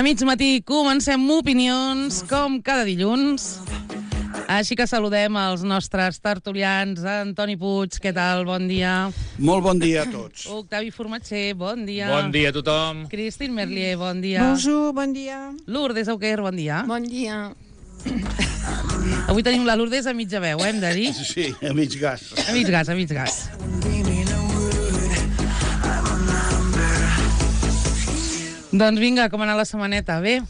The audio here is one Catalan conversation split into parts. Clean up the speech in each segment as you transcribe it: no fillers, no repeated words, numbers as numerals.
mig matí comencem Opinions, com cada dilluns. Així que saludem els nostres tertulians. Antoni Puig, què tal? Bon dia. Molt bon dia a tots. Octavi Formatger, bon dia. Bon dia a tothom. Christine Merlier, bon dia. Bonjour, bon dia. Lourdes Auquer, bon dia. Bon dia. Avui tenim la Lourdes a mitja veu, hem de dir. Sí, a mig gas. A mig gas, a mig gas. Doncs vinga, com ha anat la setmaneta? Bé?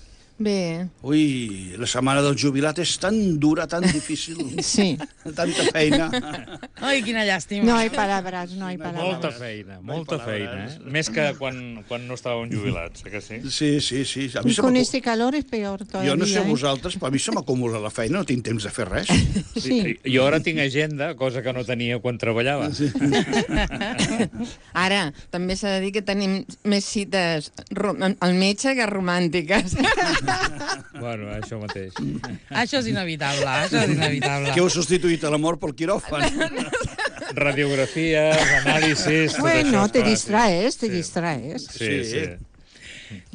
Bé. Ui, la setmana del jubilat és tan dura, tan difícil. Sí. Tanta feina. Ai, quina llàstima. No hay palabras, no hay palabras. Molta feina, eh? Més que quan no estàvem jubilats, que sí? Sí. A mi Y con este calor es peor todavía. Jo no sé vosaltres, però a mi se m'acumula la feina, no tinc temps de fer res. Sí. Jo ara tinc agenda, cosa que no tenia quan treballava. Sí. Ara, també s'ha de dir que tenim més cites al metge que romàntiques. Bueno, això mateix. Això és inevitable, això és inevitable. Que heu substituït l'amor pel quiròfan. Radiografies, anàlisis... Bueno, tot te això, distraes, te Sí. distraes. Sí.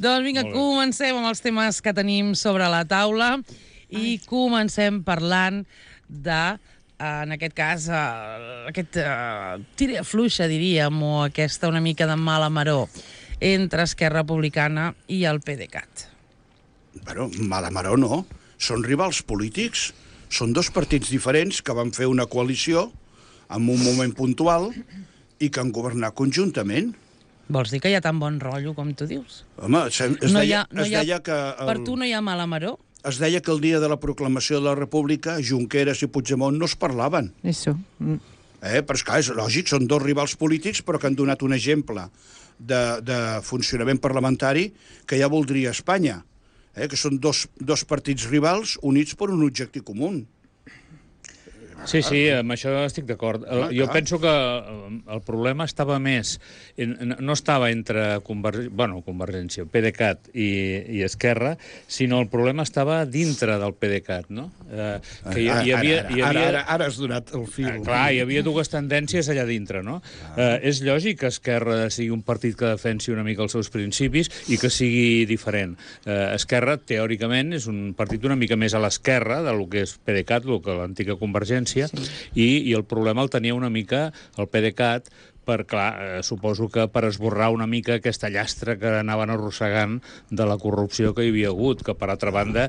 Doncs vinga, Molt bé. comencem amb els temes que tenim sobre la taula i comencem parlant de, en aquest cas, aquest tira fluixa, diríem, o aquesta una mica de mala maror entre Esquerra Republicana i el PDeCAT. Bueno, mala maró no. Són rivals polítics. Són dos partits diferents que van fer una coalició en un moment puntual i que han governat conjuntament. Vols dir que hi ha tan bon rotllo com tu dius? Home, es deia que... Per tu no hi ha mala maror? Es deia que el dia de la proclamació de la República, Junqueras i Puigdemont no es parlaven. Eso. Però és clar, és lògic, són dos rivals polítics però que han donat un exemple de funcionament parlamentari que ja voldria Espanya, que són dos partits rivals units per un objectiu comú. Sí, amb això estic d'acord. Jo penso que el problema estava més... No estava entre Convergència, PDeCAT i Esquerra, sinó el problema estava dintre del PDeCAt, no? Ara has donat el fil. Clar, hi havia dues tendències allà dintre, no? És lògic que Esquerra sigui un partit que defensi una mica els seus principis i que sigui diferent. Esquerra, teòricament, és un partit una mica més a l'esquerra del que és PDeCAt, el que l'antiga Convergència, i el problema el tenia una mica el PDeCAt, clar, suposo que per esborrar una mica aquesta llastra que anaven arrossegant de la corrupció que hi havia hagut, que per altra banda,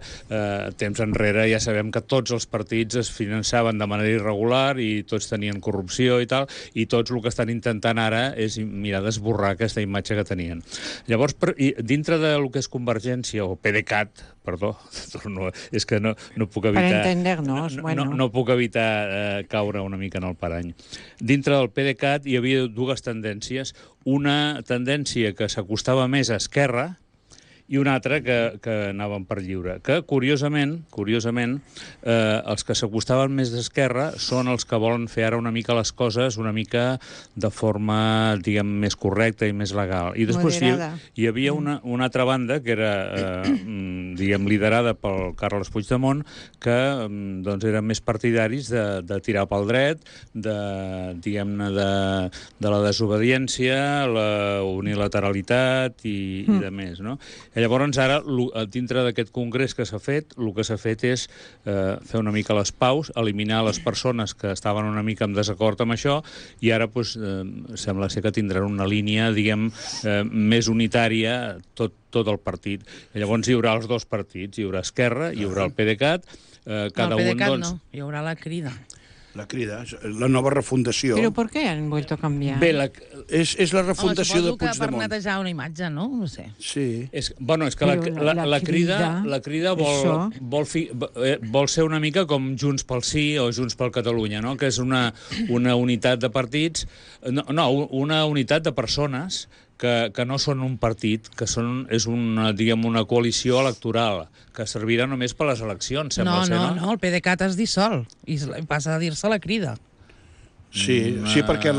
temps enrere ja sabem que tots els partits es finançaven de manera irregular i tots tenien corrupció i tal, i tots el que estan intentant ara és mirar d'esborrar aquesta imatge que tenien. Llavors, dintre del que és Convergència, o PDeCAT, perdó, és que no puc evitar... Per entendernos, bueno. No puc evitar caure una mica en el parany. Dintre del PDeCAt hi havia dues tendències. Una tendència que s'acostava més a Esquerra i una altra que anaven per lliure. Que, curiosament, els que s'acostaven més d'Esquerra són els que volen fer ara una mica les coses una mica de forma, diguem, més correcta i més legal. I després hi havia una altra banda que era, diguem, liderada pel Carles Puigdemont, que doncs eren més partidaris de tirar pel dret, diguem-ne, de la desobediència, la unilateralitat i de més, no? Llavors, ara, dintre d'aquest congrés que s'ha fet, el que s'ha fet és fer una mica les paus, eliminar les persones que estaven una mica en desacord amb això, i ara sembla ser que tindran una línia, diguem, més unitària, tot el partit. Llavors hi haurà els dos partits, hi haurà Esquerra, hi haurà el PDeCAt, cada un, doncs... No, hi haurà la Crida. La Crida, la nova refundació. Però per què han vuelto a canviar? Bé, és la refundació de Puigdemont. Suposo que per netejar una imatge, no? No sé. Sí. És que la Crida vol ser una mica com Junts pel Sí o Junts per Catalunya, no? Que és una unitat de partits, una unitat de persones que no són un partit, que és una coalició electoral, que servirà només per les eleccions, sembla ser, no? No, el PDeCAT es dissol i passa a dir-se la Crida. Sí, perquè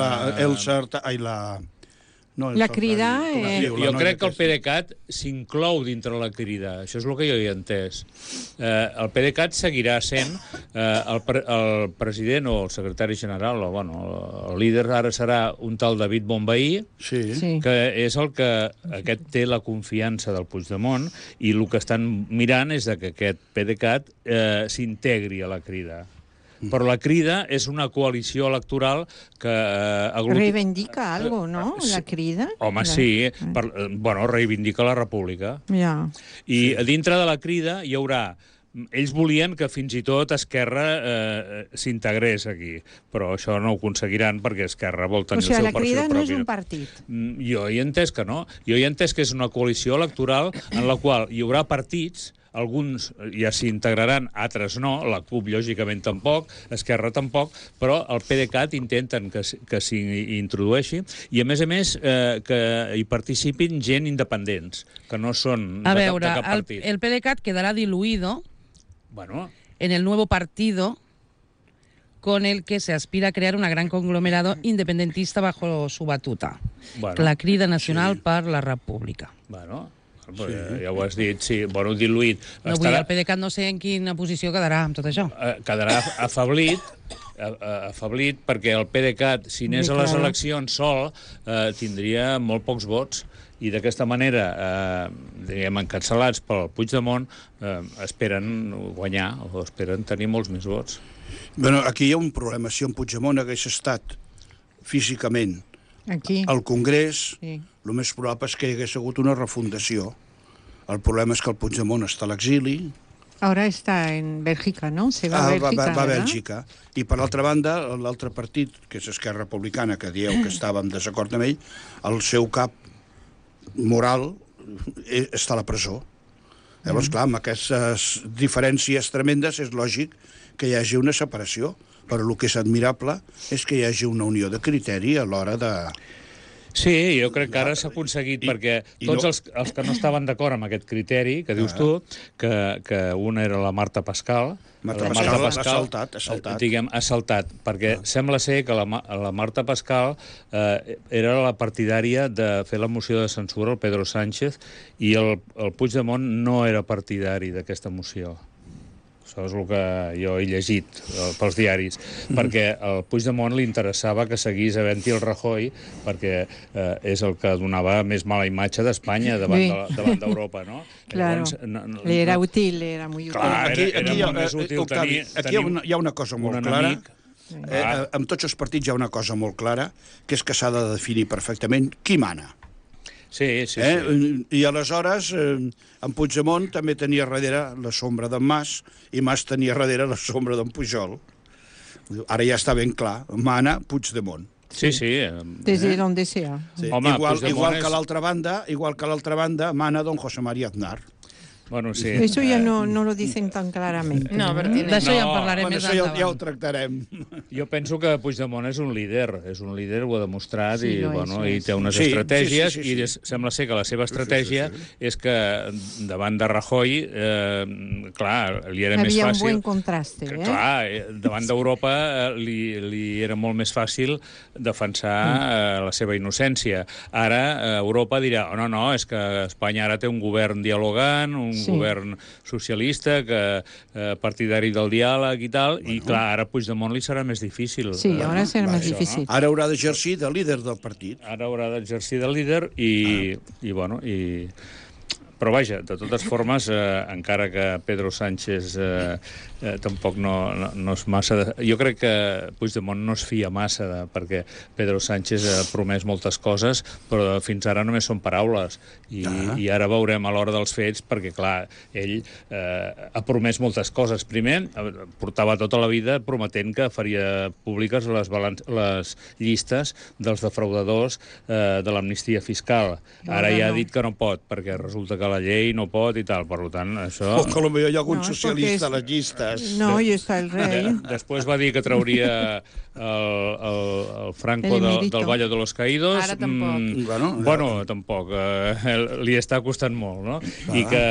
No, La Crida... Jo crec que el PDeCAT s'inclou dintre la Crida. Això és el que jo he entès. El PDeCAT seguirà sent el president o el secretari general, o bueno, el líder ara serà un tal David Bonvehí, que és el que aquest té la confiança del Puigdemont, i el que estan mirant és que aquest PDeCAT s'integri a la Crida. Però la Crida és una coalició electoral que... Reivindica algo, no? La Crida? Home, sí. Bueno, reivindica la República. Ja. I dintre de la Crida hi haurà... Ells volien que fins i tot Esquerra s'integrés aquí, però això no ho aconseguiran perquè Esquerra vol tenir el seu perfil propi. O sigui, la Crida no és un partit. Jo he entès que no. Jo he entès que és una coalició electoral en la qual hi haurà partits, alguns ja s'hi integraran, altres no, la CUP lògicament tampoc, Esquerra tampoc, però el PDeCAT intenten que s'hi introdueixi i a més que hi participin gent independents, que no són a de veure, cap partit. El PDeCAT quedará diluido en el nuevo partido con el que se aspira a crear un gran conglomerado independentista bajo su batuta. La Crida Nacional per la República. Ja ho has dit, sí, diluït. No vull dir, el PDeCAT no sé en quina posició quedarà amb tot això. Quedarà afeblit perquè el PDeCAT, si anés a les eleccions sol, tindria molt pocs vots i d'aquesta manera, diguem, encapçalats pel Puigdemont, esperen guanyar o esperen tenir molts més vots. Bueno, aquí hi ha un problema. Si en Puigdemont hagués estat físicament al Congrés, el més probable és que hi hagués hagut una refundació. El problema és que el Puigdemont està a l'exili. Ara està en Bèlgica, no? Se va a Bèlgica. Va a Bèlgica. I per l'altra banda, l'altre partit, que és Esquerra Republicana, que dieu que estava en desacord amb ell, el seu cap moral està a la presó. Llavors, clar, amb aquestes diferències tremendes és lògic que hi hagi una separació, però el que és admirable és que hi hagi una unió de criteri a l'hora de... Sí, jo crec que ara s'ha aconseguit, perquè tots els que no estaven d'acord amb aquest criteri, que dius tu, que una era la Marta Pascal... Marta Pascal ha saltat. Diguem, ha saltat, perquè sembla ser que la Marta Pascal era la partidària de fer la moció de censura al Pedro Sánchez i el Puigdemont no era partidari d'aquesta moció. Això és el que jo he llegit pels diaris, perquè al Puigdemont li interessava que seguís havent-hi el Rajoy, perquè és el que donava més mala imatge d'Espanya davant d'Europa, no? Claro, li era útil, era molt útil. Aquí hi ha una cosa molt clara. Amb tots els partits hi ha una cosa molt clara, que és que s'ha de definir perfectament qui mana. Sí. I aleshores en Puigdemont també tenia darrere la sombra d'en Mas i Mas tenia darrere la sombra d'en Pujol. Ara ja està ben clar, mana Puigdemont. Sí. Desde donde sea. Igual que a l'altra banda mana don José María Aznar. Bueno, sí. Eso ya no lo dicen tan claramente. No, d'això ja en parlarem més endavant. Ja ho tractarem. Jo penso que Puigdemont és un líder, ho ha demostrat i té unes estratègies i sembla ser que la seva estratègia és que davant de Rajoy, clar, li era més fàcil... Havia un bon contraste, Clar, davant d'Europa li era molt més fàcil defensar la seva innocència. Ara Europa dirà, no, és que Espanya ara té un govern dialogant, un govern socialista, partidari del diàleg i tal, i clar, ara a Puigdemont li serà més difícil. Sí, ara serà més difícil. Ara haurà d'exercir de líder del partit. Ara haurà d'exercir de líder però vaja, de totes formes, encara que Pedro Sánchez tampoc no és massa... Jo crec que Puigdemont no es fia massa perquè Pedro Sánchez ha promès moltes coses, però fins ara només són paraules. I ara veurem a l'hora dels fets, perquè, clar, ell ha promès moltes coses. Primer, portava tota la vida prometent que faria públiques les llistes dels defraudadors de l'amnistia fiscal. Ara ja ha dit que no pot, perquè resulta que la llei no pot i tal. Per tant, això... O que potser hi ha algun socialista a les llistes. No, i està el rei. Després va dir que trauria el Franco del Valle de los Caídos. Ara tampoc. Bueno, tampoc. Li està costant molt, no? I que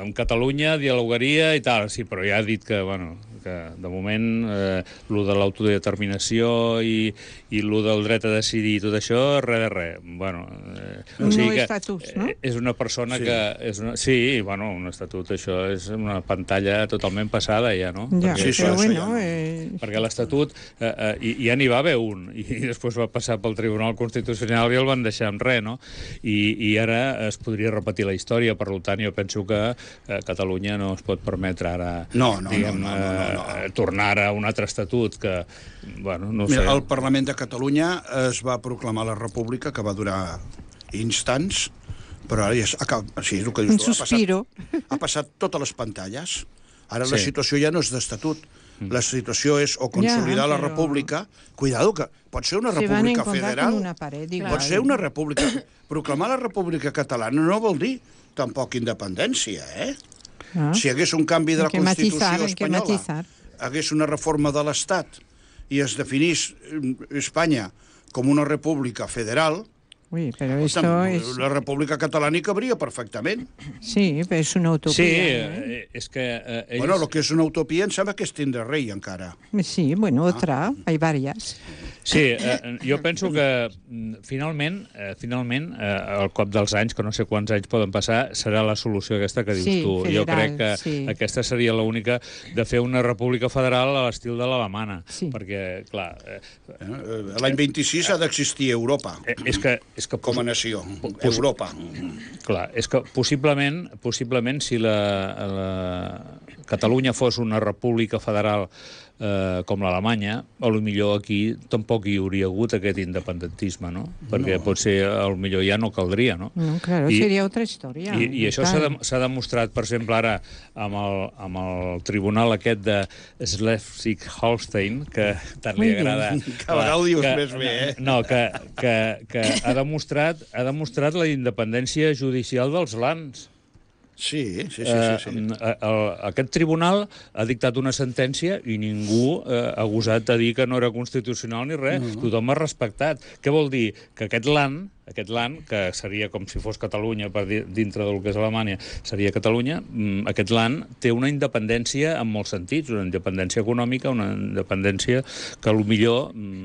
amb Catalunya dialogaria i tal. Sí, però ja ha dit que que de moment lo de l'autodeterminació i lo del dret a decidir i tot això, res de res. Bueno, Un nou estatut, no? És una persona que... Sí, bueno, un estatut, això és una pantalla totalment passada ja, no? Ja, Sí, però això bueno... ja Perquè l'Estatut ja n'hi va haver un, i després va passar pel Tribunal Constitucional i el van deixar en res, no? I ara es podria repetir la història, per tant, jo penso que Catalunya no es pot permetre ara, tornar a un altre estatut que, bueno, no sé... Mira, el Parlament de Catalunya es va proclamar la República, que va durar instants, però ara ja sí, és el que dius tu, Un suspiro. ha passat totes les pantalles. Ara la situació ja no és d'estatut. La situació és o consolidar la república... Cuidado, que pot ser una república federal. Con una pared, igual. Pot ser una república... Proclamar la república catalana no vol dir tampoc independència, eh? Ah. Si hi hagués un canvi de la Constitució espanyola, matizar. hagués una reforma de l'Estat i es definís Espanya com una república federal, Uy, pero esto es... la república catalana hi cabria perfectament. Sí, pero es una utopía. Sí, és que... Bueno, el que és una utopia em sembla que és tindre rei, encara. Sí, bueno, otra, hay varias. Sí, jo penso que finalment, al cop dels anys, que no sé quants anys poden passar, serà la solució aquesta que dius tu. Federal, jo crec que aquesta seria l'única de fer una república federal a l'estil de l'alemana. Sí. Perquè, clar... L'any 26 ha d'existir Europa És que com a nació. Europa. Clar, és que possiblement si la Catalunya fos una república federal com l'Alemanya, potser aquí tampoc hi hauria hagut aquest independentisme, no? Perquè potser potser ja no caldria, no? No, claro, seria otra història. I això s'ha demostrat, per exemple, ara amb el tribunal aquest de Schleswig-Holstein, que tant li agrada... Cada vegada ho dius més bé, eh? No, que ha demostrat la independència judicial dels lands. Sí. Aquest tribunal ha dictat una sentència i ningú ha gosat a dir que no era constitucional ni res. Tothom ha respectat. Què vol dir? Que aquest land, que seria com si fos Catalunya per dintre del que és Alemanya, seria Catalunya, aquest land té una independència en molts sentits, una independència econòmica, una independència que potser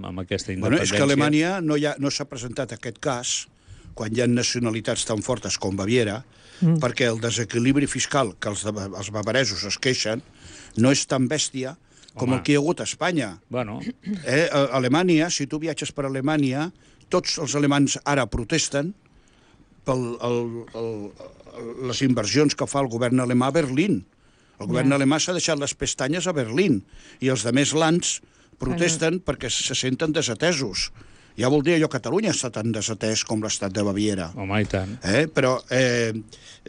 amb aquesta independència... Bueno, és que a Alemanya no s'ha presentat aquest cas quan hi ha nacionalitats tan fortes com Baviera, perquè el desequilibri fiscal que els bavaresos es queixen no és tan bèstia com el que hi ha hagut a Espanya. Bueno. A Alemanya, si tu viatges per Alemanya, tots els alemans ara protesten per les inversions que fa el govern alemà a Berlín. El govern alemà s'ha deixat les pestanyes a Berlín i els altres lands protesten perquè se senten desatesos. Ja vol dir allò que Catalunya està tan desatès com l'estat de Baviera. Home, i tant. Però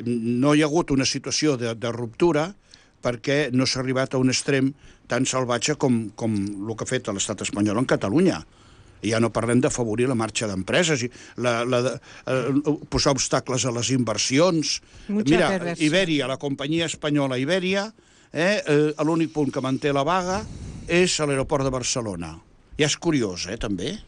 no hi ha hagut una situació de ruptura perquè no s'ha arribat a un extrem tan salvatge com el que ha fet l'estat espanyol en Catalunya. I ja no parlem d'afavorir la marxa d'empreses, posar obstacles a les inversions. Mira, Ibèria, la companyia espanyola Ibèria, l'únic punt que manté la vaga és a l'aeroport de Barcelona. Ja és curiós, també.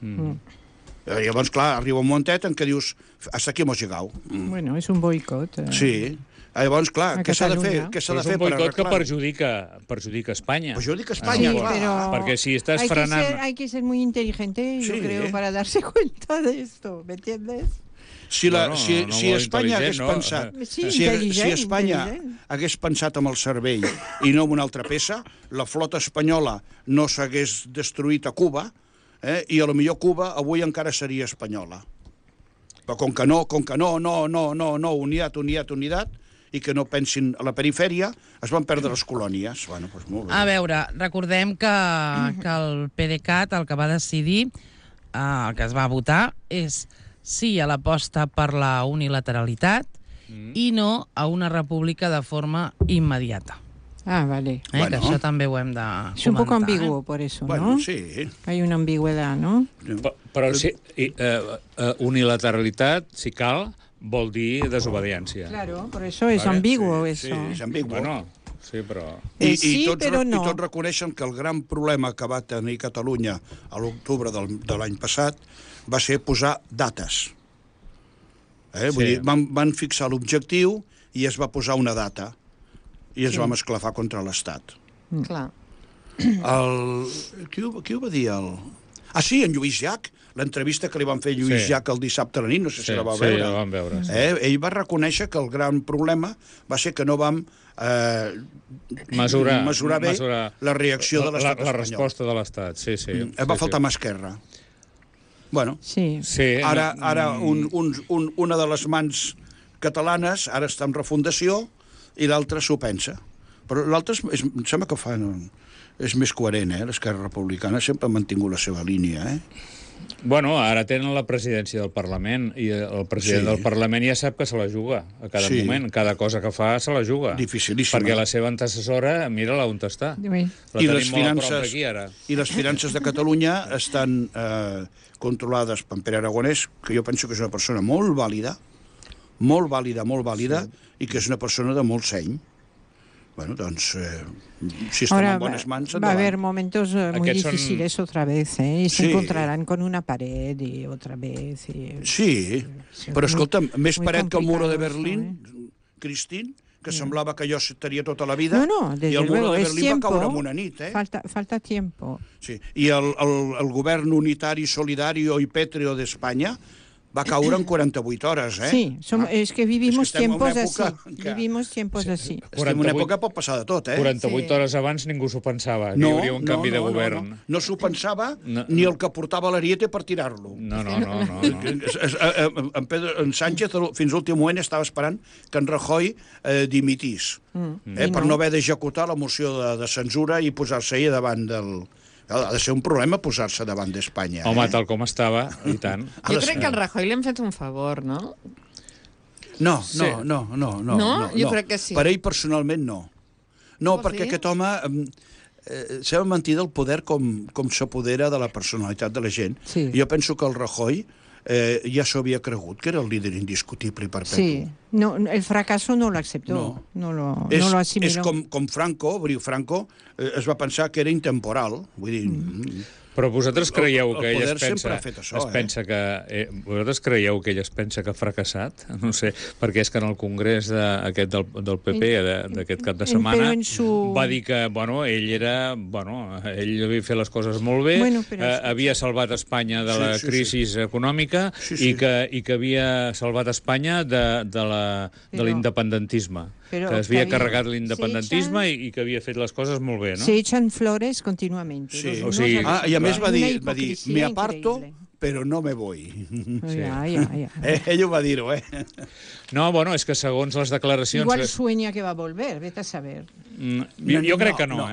Llavors, clar, arriba un momentet en què dius hasta aquí hemos llegado. Bueno, és un boicot. Sí. Llavors, clar, què s'ha de fer? És un boicot que perjudica Espanya. Perjudica Espanya, sí, clar. Pero perquè si estàs frenant... Hay que ser muy inteligente, yo creo, para darse cuenta de esto, ¿me entiendes? Si Espanya hagués pensat... Si Espanya hagués pensat amb el cervell i no amb una altra peça, la flota espanyola no s'hagués destruït a Cuba, i a lo millor Cuba avui encara seria espanyola. Però com que no, unitat, i que no pensin a la perifèria, es van perdre les colònies. Bueno, doncs molt bé. A veure, recordem que el PDeCAT el que va decidir, el que es va votar, és sí a l'aposta per la unilateralitat i no a una república de forma immediata. Ah, vale. Que això també ho hem de comentar. Es un poco ambiguo por eso, bueno, ¿no? Sí. Hay una ambigüedad, ¿no? Però sí, unilateralitat, si cal, vol dir desobediència. Claro, por eso es ambiguo eso. Sí, és ambiguo. Bueno, sí, però... I tots no. reconeixen que el gran problema que va tenir Catalunya a l'octubre de l'any passat va ser posar dates. Vull dir, van fixar l'objectiu i es va posar una data i ens vam esclafar contra l'Estat. Clar. Qui ho va dir? Ah, sí, en Lluís Llach. L'entrevista que li van fer a Lluís Llach el dissabte a la nit, no sé si la va veure. Sí, la vam veure. Sí. Ell va reconèixer que el gran problema va ser que no vam mesurar bé la reacció de l'estat espanyol. La resposta de l'estat, sí. Va faltar mà esquerra. Bueno, sí. Ara una de les mans catalanes ara està en refundació i l'altra s'ho pensa. Però l'altra em sembla que és més coherent, l'Esquerra Republicana sempre ha mantingut la seva línia, Bueno, ara tenen la presidència del Parlament i el president del Parlament ja sap que se la juga a cada moment. Cada cosa que fa se la juga. Dificilíssima. Perquè la seva antecessora, mira-la on està. I les finances de Catalunya estan controlades per Pere Aragonès, que jo penso que és una persona molt vàlida, i que és una persona de molt seny. Bueno, doncs, si estan en bones mans, endavant. Va a haber momentos muy difíciles otra vez, y se encontrarán con una pared y otra vez. Sí, però escolta'm, més paret que el muro de Berlín, Cristín, que semblava que allò estaria tota la vida, i el muro de Berlín va caure en una nit. Falta tiempo. Sí, i el govern unitari, solidario i pétreo d'Espanya va caure en 48 hores, Sí, es que vivimos tiempos así. Vivimos tiempos así. En una època pot passar de tot, 48 hores abans ningú s'ho pensava, que hi hauria un canvi de govern. No s'ho pensava ni el que portava l'Ariete per tirar-lo. No. En Sánchez, fins a l'últim moment, estava esperant que en Rajoy dimitís, per no haver d'executar la moció de censura i posar-se ahir davant del... Ha de ser un problema posar-se davant d'Espanya. Home, tal com estava, i tant. Jo crec que al Rajoy li hem fet un favor, no? No. Jo crec que sí. Per ell personalment no. No, perquè aquest home sembla mentir del poder com s'apodera de la personalitat de la gent. Jo penso que el Rajoy ja s'ho havia cregut, que era el líder indiscutible i perpetu. Sí, el fracaso no lo aceptó, no lo asimiló. És com Franco, Franco es va pensar que era intemporal, vull dir... Però vosaltres creieu que ell vosaltres creieu que ell es pensa que ha fracassat? No sé, perquè és que en el congrés aquest del PP d'aquest cap de setmana va dir que, ell havia fet les coses molt bé, havia salvat Espanya de la crisi econòmica i que havia salvat Espanya de l'independentisme. Que es havia carregat l'independentisme i que havia fet les coses molt bé, no? Se echan flores continuamente. I a més va dir, me aparto, però no me voy. Ell ho va dir-ho, No, és que segons les declaracions... Igual sueña que va a volver, vete a saber. Jo crec que no,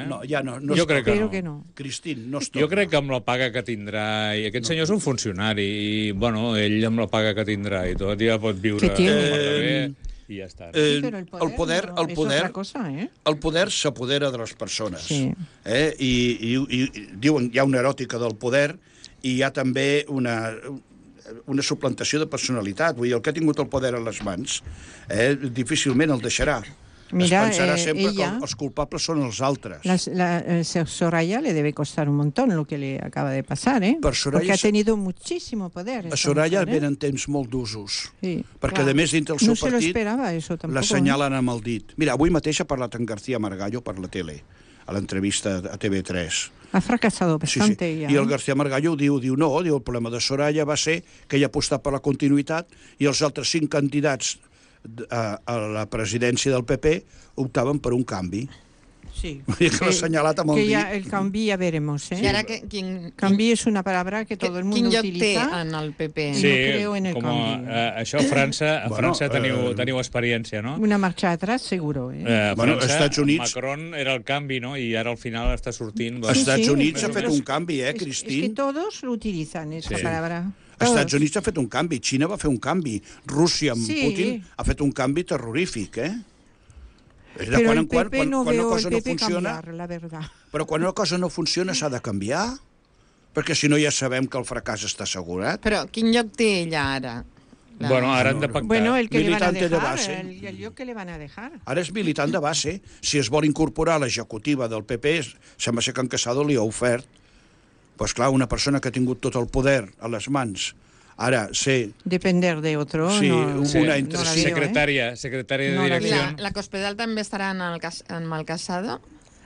Jo crec que no. Cristín, no es torna. Jo crec que amb la paga que tindrà, i aquest senyor és un funcionari, i, ell amb la paga que tindrà i tot ja pot viure bé, i ja està. El poder s'apodera de les persones. I diuen, hi ha una eròtica del poder i hi ha també una suplantació de personalitat. Vull dir, el que ha tingut el poder a les mans difícilment el deixarà. Es pensarà sempre que els culpables són els altres. Soraya le debe costar un montón lo que le acaba de pasar, porque ha tenido muchísimo poder. A Soraya venen temps molt d'usos, perquè a més dintre del seu partit l'assenyalen amb el dit. Mira, avui mateix ha parlat en García Margallo per la tele, a l'entrevista a TV3. Ha fracasado bastante ya. I el García Margallo diu el problema de Soraya va ser que ella ha apostat per la continuïtat i els altres 5 candidats a la presidència del PP optaven per un canvi. Sí. Que l'ha assenyalat amb el dit. El canvi ja veremos, I ara canvi és una palabra que tot el món utilitza. Quin lloc té en el PP? Sí, això a França teniu experiència, no? Una marxa atrás, seguro. A Estats Units... Macron era el canvi, no? I ara al final està sortint... Als Estats Units ha fet un canvi, Cristín? És que tots l'utilitzen, esa palabra. Als Estats Units ha fet un canvi, Xina va fer un canvi, Rússia amb Putin ha fet un canvi terrorífic, Però el PP no veo el PP canviar, la verdad. Però quan una cosa no funciona s'ha de canviar, perquè si no ja sabem que el fracàs està assegurat. Però quin lloc té ella ara? Ara han de pactar. El que le van a dejar, el lloc que le van a dejar. Ara és militant de base. Si es vol incorporar a l'executiva del PP, sembla ser que en Casado li ha ofert. Pues clar, una persona que ha tingut tot el poder a les mans, ara sé... Depender de otro. Sí, una secretària de direcció. La Cospedal també estarà amb el Casado?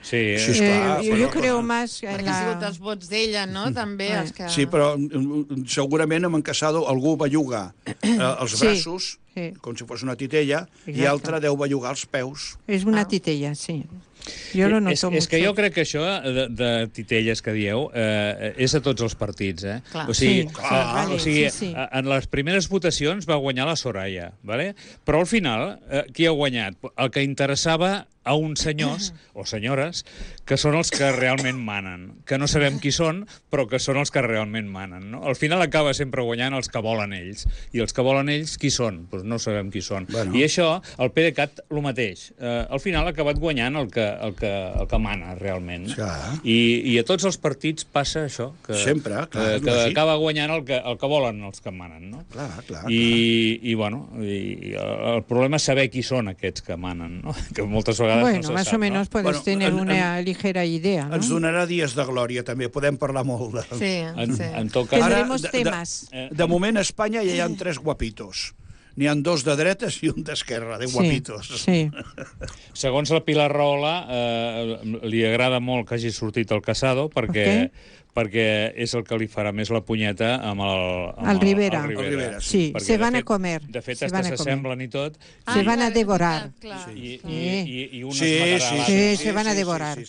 Sí, jo crec més... Perquè ha sigut els vots d'ella, no? També els que... Sí, però segurament amb en Casado algú belluga els braços, com si fos una titella, i altre deu bellugar els peus. És una titella, sí. Jo lo noto és que jo crec que això de titelles que dieu és a tots els partits, eh? Clar. O sigui, en les primeres votacions va guanyar la Soraya, ¿vale? Però al final, qui ha guanyat? El que interessava a uns senyors o senyores que són els que realment manen, que no sabem qui són, però que són els que realment manen, no? Al final acaba sempre guanyant els que volen ells. I els que volen ells, qui són? Doncs no sabem qui són. Bueno. I això, el PDeCAT, el mateix. Al final ha acabat guanyant el que mana, realment. I a tots els partits passa això, que acaba guanyant el que volen els que manen, no? Clar. I el problema és saber qui són aquests que manen, no? Que moltes vegades bueno, más o menos puedes tener una ligera idea, ¿no? Ens donarà dies de glòria, també. Podem parlar molt de... Sí. En tot cas... Tendremos temes. De moment, a Espanya ja hi ha 3 guapitos. N'hi ha 2 de dretes i un d'esquerra, de guapitos. Sí. Segons la Pilar Rahola, li agrada molt que hagi sortit el Casado, perquè és el que li farà més la punyeta amb el Rivera. Sí, se van a comer. De fet, s'assemblen i tot. Se van a devorar. I un es matarà l'altre. Sí, se van a devorar.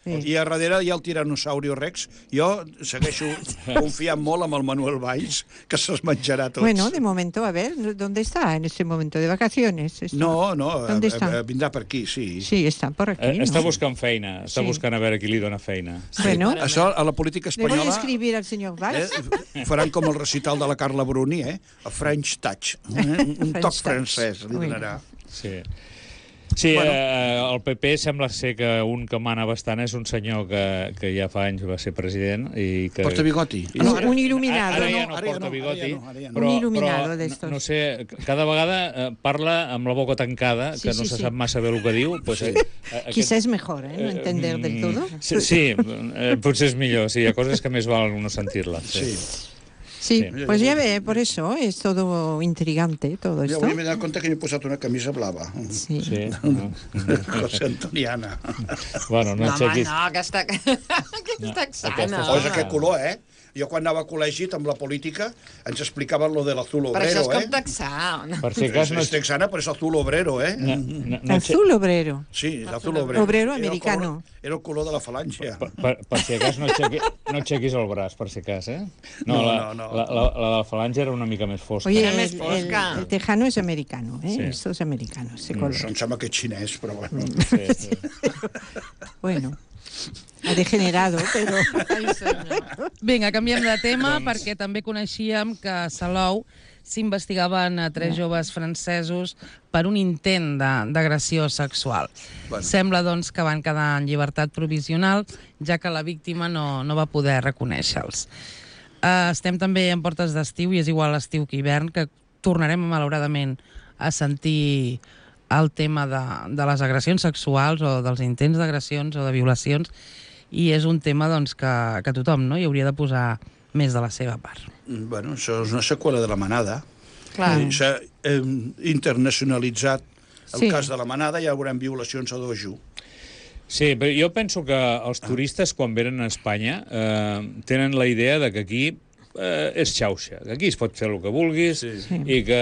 I a darrere hi ha el tiranosaurio Rex. Jo segueixo confiant molt amb el Manuel Valls, que se'ls menjarà tots. Bueno, de momento, a ver, ¿dónde está en este momento? ¿De vacaciones? No, vindrà per aquí, sí. Sí, està per aquí. Està buscant feina, està buscant a veure qui li dona feina. Bueno, això a la política espanyola... Le voy a escribir al senyor Valls. Faran com el recital de la Carla Bruni, A French touch. Un toc francès li donarà. Sí, el PP sembla ser que un que mana bastant és un senyor que ja fa anys va ser president i que... Porta bigoti. Un il·luminado. Ara ja no porta bigoti. Un il·luminado d'estos. No sé, cada vegada parla amb la boca tancada, que no se sap massa bé el que diu. Quizá és mejor, no entender del todo. Sí, potser és millor. Hi ha coses que més val no sentir-la. Sí, pues ya ve, por eso es todo intrigante todo esto. Avui m'he donat compte que m'he posat una camisa blava. Sí. José Antoniana. Bueno, no aixequis... No, que està texana. O és aquest color, Jo, quan anava a col·legi amb la política, ens explicaven lo de l'azul obrero, Per això és com texà. Per si cas no... És texana, però és azul obrero, Azul obrero? Sí, l'azul obrero. Obrero americano. Era el color de la falange. Per si cas no aixequis el braç, per si cas, No, la de la falange era una mica més fosca. Oye, el tejano es americano, Esto es americano, ese color. Em sembla que és xinès, però bueno. Bueno... Ha degenerado, però... Vinga, canviem de tema, perquè també coneixíem que a Salou s'investigaven a 3 joves francesos per un intent d'agressió sexual. Sembla, doncs, que van quedar en llibertat provisional, ja que la víctima no va poder reconèixer-los. Estem també en portes d'estiu, i és igual estiu que hivern, que tornarem, malauradament, a sentir el tema de les agressions sexuals o dels intents d'agressions o de violacions, i és un tema doncs, que tothom hi hauria de posar més de la seva part. Bueno, això és una seqüela de la manada. S'ha internacionalitzat el cas de la manada, ja veurem violacions a dojo. Sí, però jo penso que els turistes, quan venen a Espanya, tenen la idea de que aquí és xauxa, que aquí es pot fer el que vulguis i que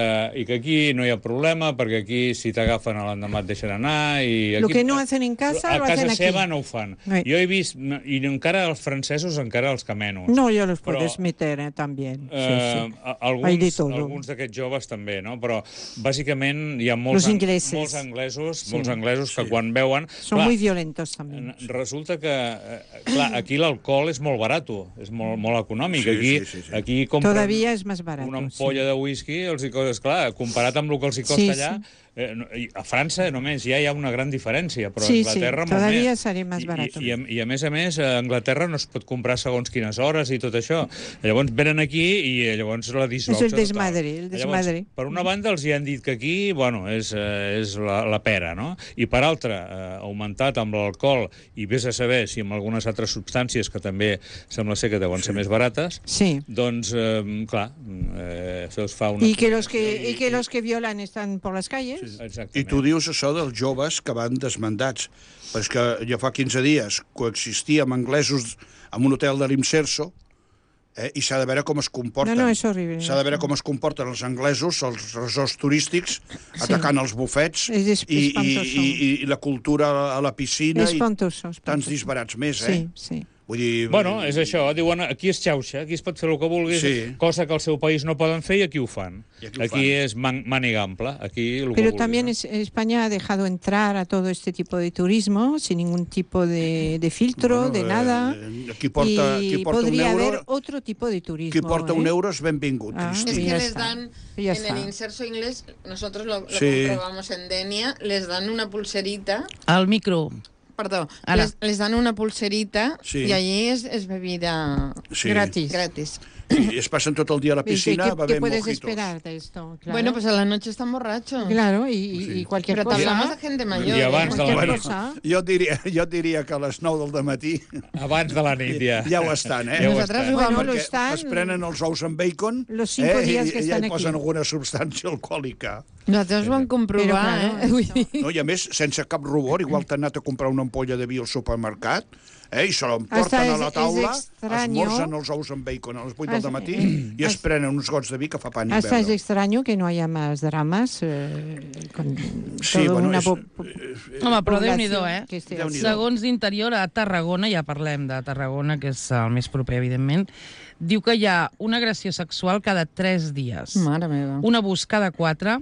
aquí no hi ha problema, perquè aquí si t'agafen a l'endemà et deixen anar i... Lo que no hacen en casa, lo hacen aquí. A casa seva no ho fan. Jo he vist, i encara els francesos encara els camenos. No, ja los puedes meter, también. Alguns d'aquests joves també, no? Però bàsicament hi ha molts anglesos que quan veuen... Són muy violentos també. Resulta que, clar, aquí l'alcohol és molt barat, és molt econòmic. Aquí compren una ampolla de whisky, clar, comparat amb el que els costa allà, a França només ja hi ha una gran diferència, però a Anglaterra molt més. I a més, a Anglaterra no es pot comprar segons quines hores i tot això. Llavors venen aquí i llavors la disbauxa total. És el desmadre. Per una banda els hi han dit que aquí, és la pera, no? I per altra, augmentat amb l'alcohol i vés a saber si amb algunes altres substàncies que també sembla ser que deuen ser més barates, doncs, clar, això es fa una... Y que los que violan están por las calles. I tu dius això dels joves que van desmandats. Però és que ja fa 15 dies coexistia amb anglesos en un hotel de l'Imserso, i s'ha de veure com es comporten. No, és horrible. S'ha de veure com es comporten els anglesos, els resorts turístics, atacant els bufets, i la cultura a la piscina, i tants disbarats més, Sí. Vull dir... Bueno, és això, diuen, aquí és xauxa, aquí es pot fer el que vulguis, cosa que al seu país no poden fer i aquí ho fan. Aquí és màniga ampla, aquí el que Pero vulguis. también España ha dejado entrar a todo este tipo de turismo sin ningún tipo de filtro, de nada. Qui porta podría un euro, haber otro tipo de turismo. Qui porta un euro es benvingut. Es que les dan, en el Inserso inglés, nosotros lo comprobamos en Denia, les dan una pulserita. Al micro. Perdó, les dan una pulserita y allí es bebida gratis. Y pasan todo el día a la piscina, ¿Qué puedes esperar de esto? Claro. Bueno, pues a la noche están borrachos. Claro, y cualquier cosa. Pero hablamos de gente mayor. I abans de la nit. Jo diria que a les 9 del matí... Abans de la nit, ja ho estan, Nosaltres ho bueno, vamos. Es prenen els ous amb bacon, los 5 días que estan i hi posen aquí. alguna substància alcohòlica. Nosaltres ho vam comprovar, No, i a més, sense cap rubor, igual t'han anat a comprar una ampolla de vi al supermercat, i se l'emporten a la taula, esmorzen els ous amb bacon a les 8 del matí i es prenen uns gots de vi que fa pànic veure. Hasta es extraño que no haya más dramas con una Home, però Déu-n'hi-do, Segons d'Interior, a Tarragona, ja parlem de Tarragona, que és el més proper, evidentment, diu que hi ha una agressió sexual cada 3 dies. Mare meva. Un abús cada 4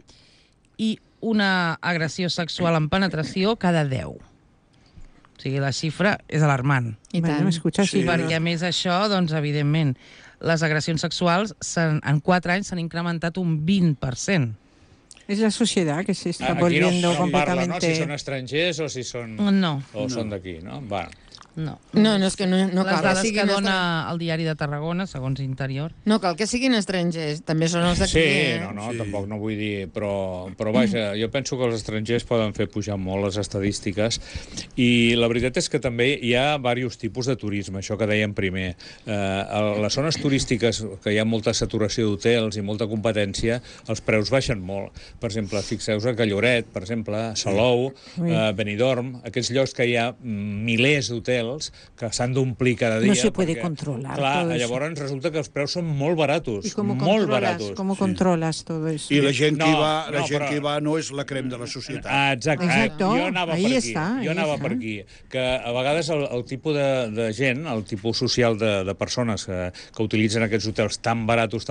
i una agressió sexual en penetració cada 10. O sigui, la xifra és alarmant. I tant. Perquè, a més, això, doncs, evidentment, les agressions sexuals en 4 anys s'han incrementat un 20%. Es la sociedad que se está volviendo completamente... No, si són estrangers o si són... No. O són d'aquí, no? Va. No, és que no les cal dades que dona el diari de Tarragona, segons Interior. No cal que siguin estrangers, també són els d'aquí. Sí, tampoc no vull dir, però vaja, jo penso que els estrangers poden fer pujar molt les estadístiques i la veritat és que també hi ha diversos tipus de turisme, això que dèiem primer. A les zones turístiques, que hi ha molta saturació d'hotels i molta competència, els preus baixen molt. Per exemple, fixeu-vos a Calloret, per exemple, Salou, Benidorm, aquests llocs que hi ha milers d'hotels que s'han d'omplir cada dia. No se puede controlar. Clar, llavors resulta que els preus són molt baratos. Molt baratos. ¿Cómo controlas todo eso? I la gent que hi va no és la crem de la societat. Exacte. Jo anava per aquí. Que a vegades el tipus de gent, el tipus social de persones que utilitzen aquests hotels tan baratos,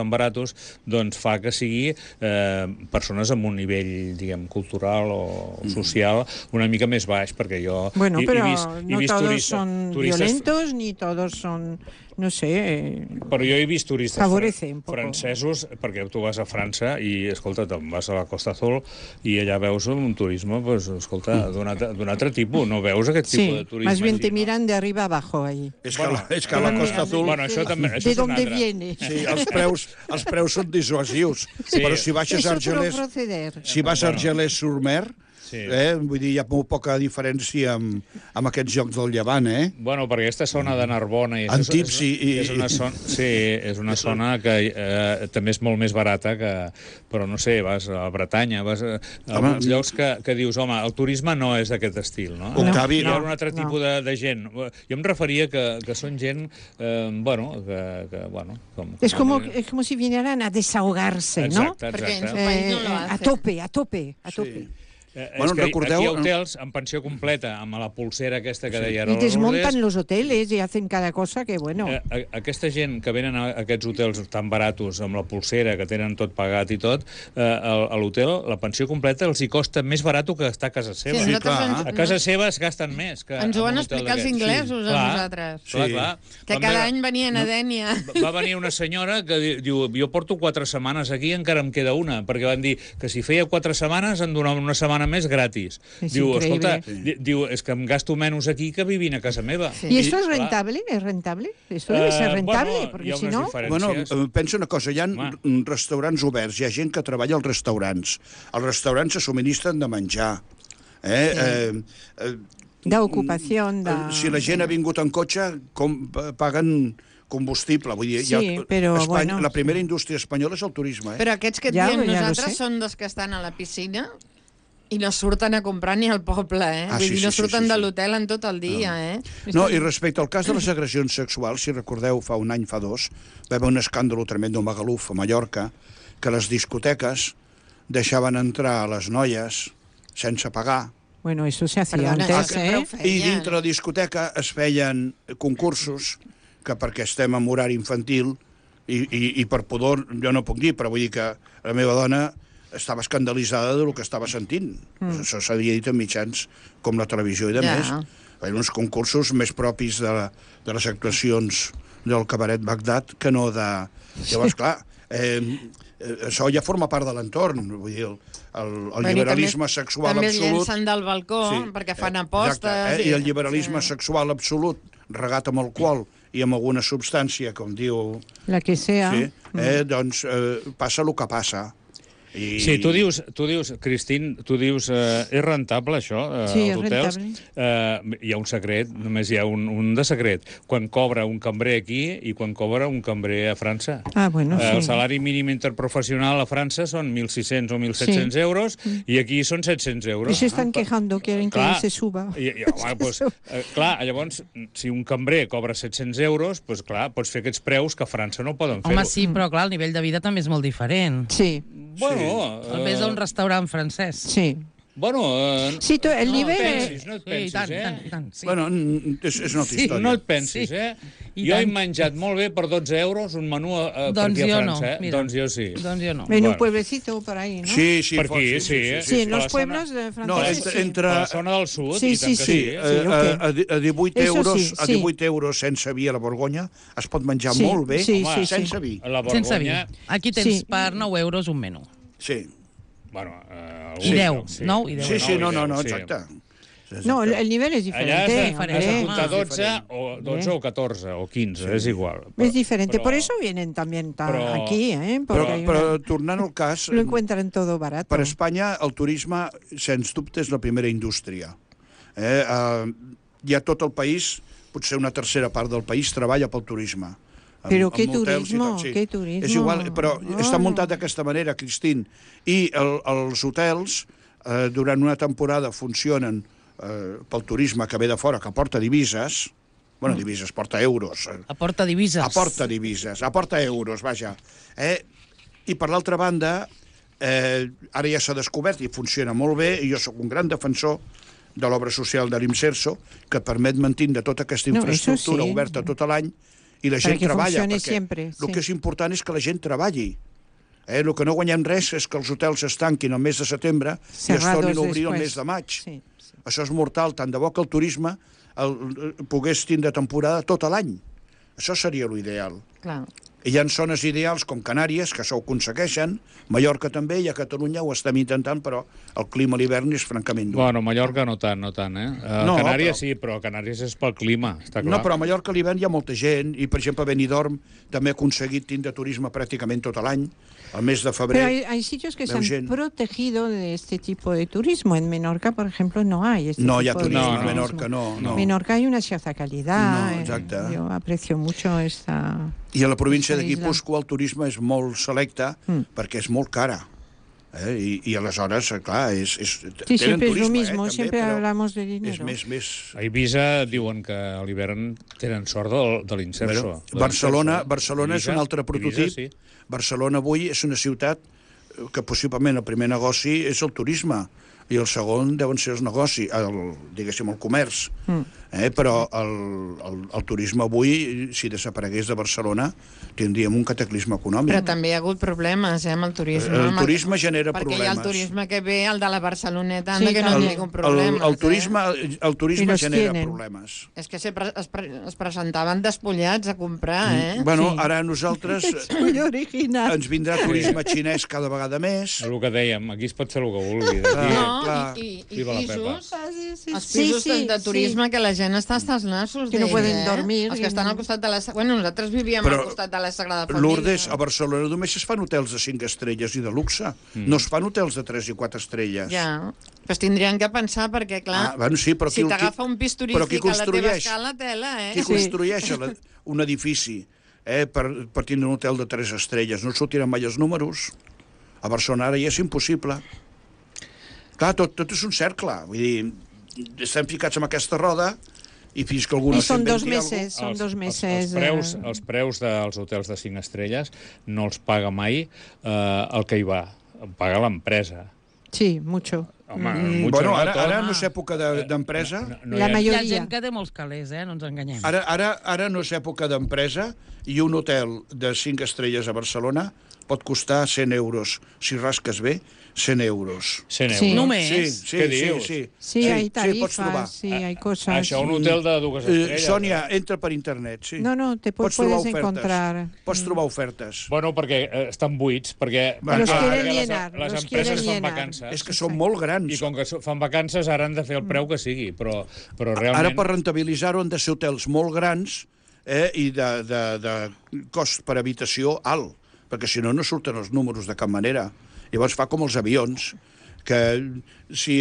doncs fa que sigui persones amb un nivell, diguem, cultural o social una mica més baix, perquè jo he vist turistes violentos ni todos son, no sé... Però jo he vist turistes francesos, perquè tu vas a França i, escolta, te'n vas a la Costa Azul i allà veus un turisme, pues, escolta, d'un altre tipus, no veus aquest tipus de turisme. Más bien te miran de arriba abajo ahí. És que a la Costa Azul... Bueno, això també, ¿De dónde viene? Sí, els preus són dissuasius, però si baixes a Argelès-sur-Mer, vull dir, hi ha molt poca diferència amb aquests jocs del Llevant, Bueno, perquè aquesta zona de Narbona... Antips és una zona que també és molt més barata, però no sé, vas a Bretanya, vas a alguns llocs que dius, home, el turisme no és d'aquest estil, no? Octavi, hi ha un altre tipus de gent. Jo em referia que són gent, Es como si vinieran a desahogarse, ¿no? Exacte. Perquè en su país no lo hacen. A tope. Aquí hi ha hotels amb pensió completa, amb la pulsera aquesta que deia Y desmontan los hoteles y hacen cada cosa que, bueno... Aquesta gent que venen a aquests hotels tan baratos, amb la pulsera, que tenen tot pagat i tot, a l'hotel, la pensió completa els hi costa més barat que estar a casa seva. Sí, clar. A casa seva es gasten més. Ens ho van explicar els inglesos a nosaltres. Clar. Que cada any venien a Dènia. Va venir una senyora que diu, jo porto 4 setmanes aquí i encara em queda una, perquè van dir que si feia 4 setmanes em donaven una setmana més gratis. Diu, escolta, és que em gasto menys aquí que vivint a casa meva. ¿Y esto es rentable? ¿Es rentable? Esto debe ser rentable, porque si no... Bueno, pensa una cosa, hi ha restaurants oberts, hi ha gent que treballa als restaurants. Els restaurants se subministren de menjar. D'ocupació, Si la gent ha vingut en cotxe, paguen combustible. Vull dir, la primera indústria espanyola és el turisme. Però aquests que et diem nosaltres són dels que estan a la piscina I no surten a comprar ni al poble, Vull dir, no surten de l'hotel en tot el dia, No, i respecte al cas de les agressions sexuals, si recordeu, fa un any, fa dos, va haver un escàndol tremendo a Magaluf, a Mallorca, que les discoteques deixaven entrar a les noies sense pagar. Bueno, eso se hacía antes, I dintre la discoteca es feien concursos que perquè estem en horari infantil i per pudor jo no puc dir, però vull dir que la meva dona estava escandalitzada del que estava sentint. Això s'havia dit en mitjans com la televisió i de més. Feien uns concursos més propis de les actuacions del cabaret Bagdad que no de... Llavors, clar, això ja forma part de l'entorn, vull dir, el liberalisme sexual absolut... També es llencen del balcó perquè fan apostes... I el liberalisme sexual absolut, regat amb alcohol i amb alguna substància, com diu... La que sea. Doncs passa el que passa. Sí, tu dius, Cristín, és rentable això, sí, els hotels? Hi ha un secret, només hi ha un de secret. Quan cobra un cambrer aquí i quan cobra un cambrer a França. Bueno, sí. El salari mínim interprofessional a França són 1.600 o 1.700 euros i aquí són 700 euros. I s'estan quejando, quieren que se suba. Clar, llavors, si un cambrer cobra 700 euros, doncs clar, pots fer aquests preus que a França no poden fer-ho. Home, sí, però clar, el nivell de vida també és molt diferent. Sí. Bueno, el ves a un restaurant francès. Sí. Bueno, sí, el nivell... No et pensis, tant, sí. Bueno, és una altra història. No et pensis, Jo he menjat molt bé per 12 euros un menú per aquí a França, Doncs jo sí. Doncs jo no. En un pueblecito por ahí, ¿no? Sí, per aquí, sí. Sí, en los pueblos franceses. Entre la zona del sud, sí, a 18 euros sense vi a la Borgonya es pot menjar molt bé sense vi. Sense vi. Aquí tens per 9 euros un menú. Sí. Bueno, I 10, 9 i 10. Sí, no, exacte. No, el nivel es diferente. Allá has apuntado 12 o 14 o 15, es igual. Es diferente, por eso vienen también aquí, Però tornant al cas... Lo encuentran todo barato. Per Espanya, el turisme, sens dubte, és la primera indústria. Hi ha tot el país, potser una tercera part del país, treballa pel turisme. Però què turisme, què turisme. És igual, però està muntat d'aquesta manera, Cristín. I els hotels, durant una temporada, funcionen pel turisme que ve de fora, que aporta divises, divises, porta euros. Aporta divises. Aporta euros, vaja. I per l'altra banda, ara ja s'ha descobert i funciona molt bé, i jo sóc un gran defensor de l'obra social de l'Imserso, que permet mantindre tota aquesta infraestructura oberta tot l'any, i la gent treballa, perquè el que és important és que la gent treballi. El que no guanyem res és que els hotels es tanquin el mes de setembre i es tornin a obrir el mes de maig. Això és mortal, tant de bo que el turisme pogués tindre temporada tot l'any. Això seria l'ideal. Hi ha zones ideals com Canàries, que això ho aconsegueixen, Mallorca també, i a Catalunya ho estem intentant, però el clima a l'hivern és francament dur. Bueno, Mallorca no tant, Canàries sí, però Canàries és pel clima, està clar. No, però a Mallorca a l'hivern hi ha molta gent, i per exemple Benidorm també ha aconseguit tindre turisme pràcticament tot l'any, al mes de febrer. Pero hay sitios que se han protegido de este tipo de turismo. En Menorca, por ejemplo, no hay este tipo de turismo. No, hi ha turisme a Menorca, no. En Menorca hay una cierta calidad. No, exacte. Yo aprecio mucho esta... I a la província de Guipúscoa el turisme és molt selecte perquè és molt cara. I aleshores, clar, sí, siempre es lo mismo, siempre hablamos de dinero. A Eivissa diuen que a l'hivern tenen sort de l'Imserso. Barcelona és un altre prototip. Barcelona avui és una ciutat que possiblement el primer negoci és el turisme i el segon deuen ser els negocis, diguéssim, el comerç. Però el turisme avui, si desaparegués de Barcelona, tindríem un cataclisme econòmic. Però també hi ha hagut problemes amb el turisme. El turisme genera problemes. Perquè hi ha el turisme que ve, el de la Barceloneta, que no hi ha problemes. El turisme genera problemes. És que es presentaven despullats a comprar, Bueno, ara nosaltres ens vindrà turisme xinès cada vegada més. El que dèiem, aquí es pot fer el que vulgui. I pisos, els pisos de turisme que la gent està hasta els nassos que no poden dormir. Els que estan al costat de la... Bueno, nosaltres vivíem al costat de la Sagrada Família. Lourdes, a Barcelona només es fan hotels de 5 estrelles i de luxe. No es fan hotels de 3 i 4 estrelles. Ja, però tindrien que pensar perquè, clar, si t'agafa un pis turístic a la teva escala, tela, Qui construeix un edifici per tindre un hotel de 3 estrelles? No sortiran mai els números. A Barcelona ara ja és impossible. Clar, tot és un cercle. Vull dir, estem ficats en aquesta roda i fins que algú... I són 2 mesos, són 2 mesos... Els preus dels hotels de 5 estrelles no els paga mai el que hi va, paga l'empresa. Sí, mucho. Home, bueno, ara no és època d'empresa. La majoria. Hi ha gent que té molts calés, no ens enganyem. Ara no és època d'empresa i un hotel de 5 estrelles a Barcelona pot costar 100 euros. Si rasques bé, 100 euros. 100 euros. Sí. Només? Què dius? Sí, hay tarifas, sí, hay cosas. Això, un hotel de 2 estrelles. Sònia, entra per internet, sí. No, te puedes encontrar. Pots trobar ofertes. Bueno, perquè estan buits, perquè... Los quieren llenar, les los empreses quieren fan llenar. vacances. És que són molt grans. I com que fan vacances, ara han de fer el preu que sigui, però realment... Ara, per rentabilitzar-ho, han de ser hotels molt grans i de cost per habitació alt, perquè si no, no surten els números de cap manera. Llavors fa com els avions, que si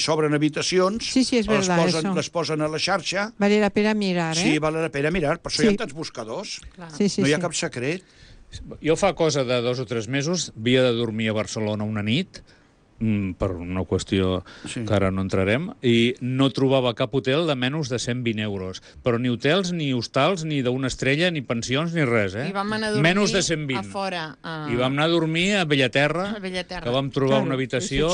s'obren habitacions, sí, és verdad, les posen a la xarxa... Vale la pena mirar, Sí, vale la pena mirar, per això hi ha tants buscadors. No hi ha cap secret. Jo fa cosa de 2 o 3 mesos havia de dormir a Barcelona una nit, per una qüestió que ara no entrarem, i no trobava cap hotel de menys de 120 euros. Però ni hotels, ni hostals, ni d'una estrella, ni pensions, ni res, I vam anar a dormir menys de 120. a fora. I vam anar a dormir a Bellaterra, que vam trobar una habitació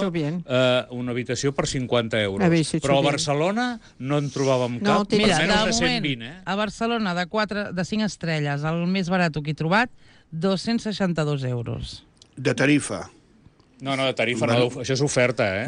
per 50 euros. Però a Barcelona no en trobàvem cap per menys de 120. A Barcelona, de 5 estrelles, el més barat que he trobat, 262 euros. De tarifa. No, de tarifa, no, això és oferta,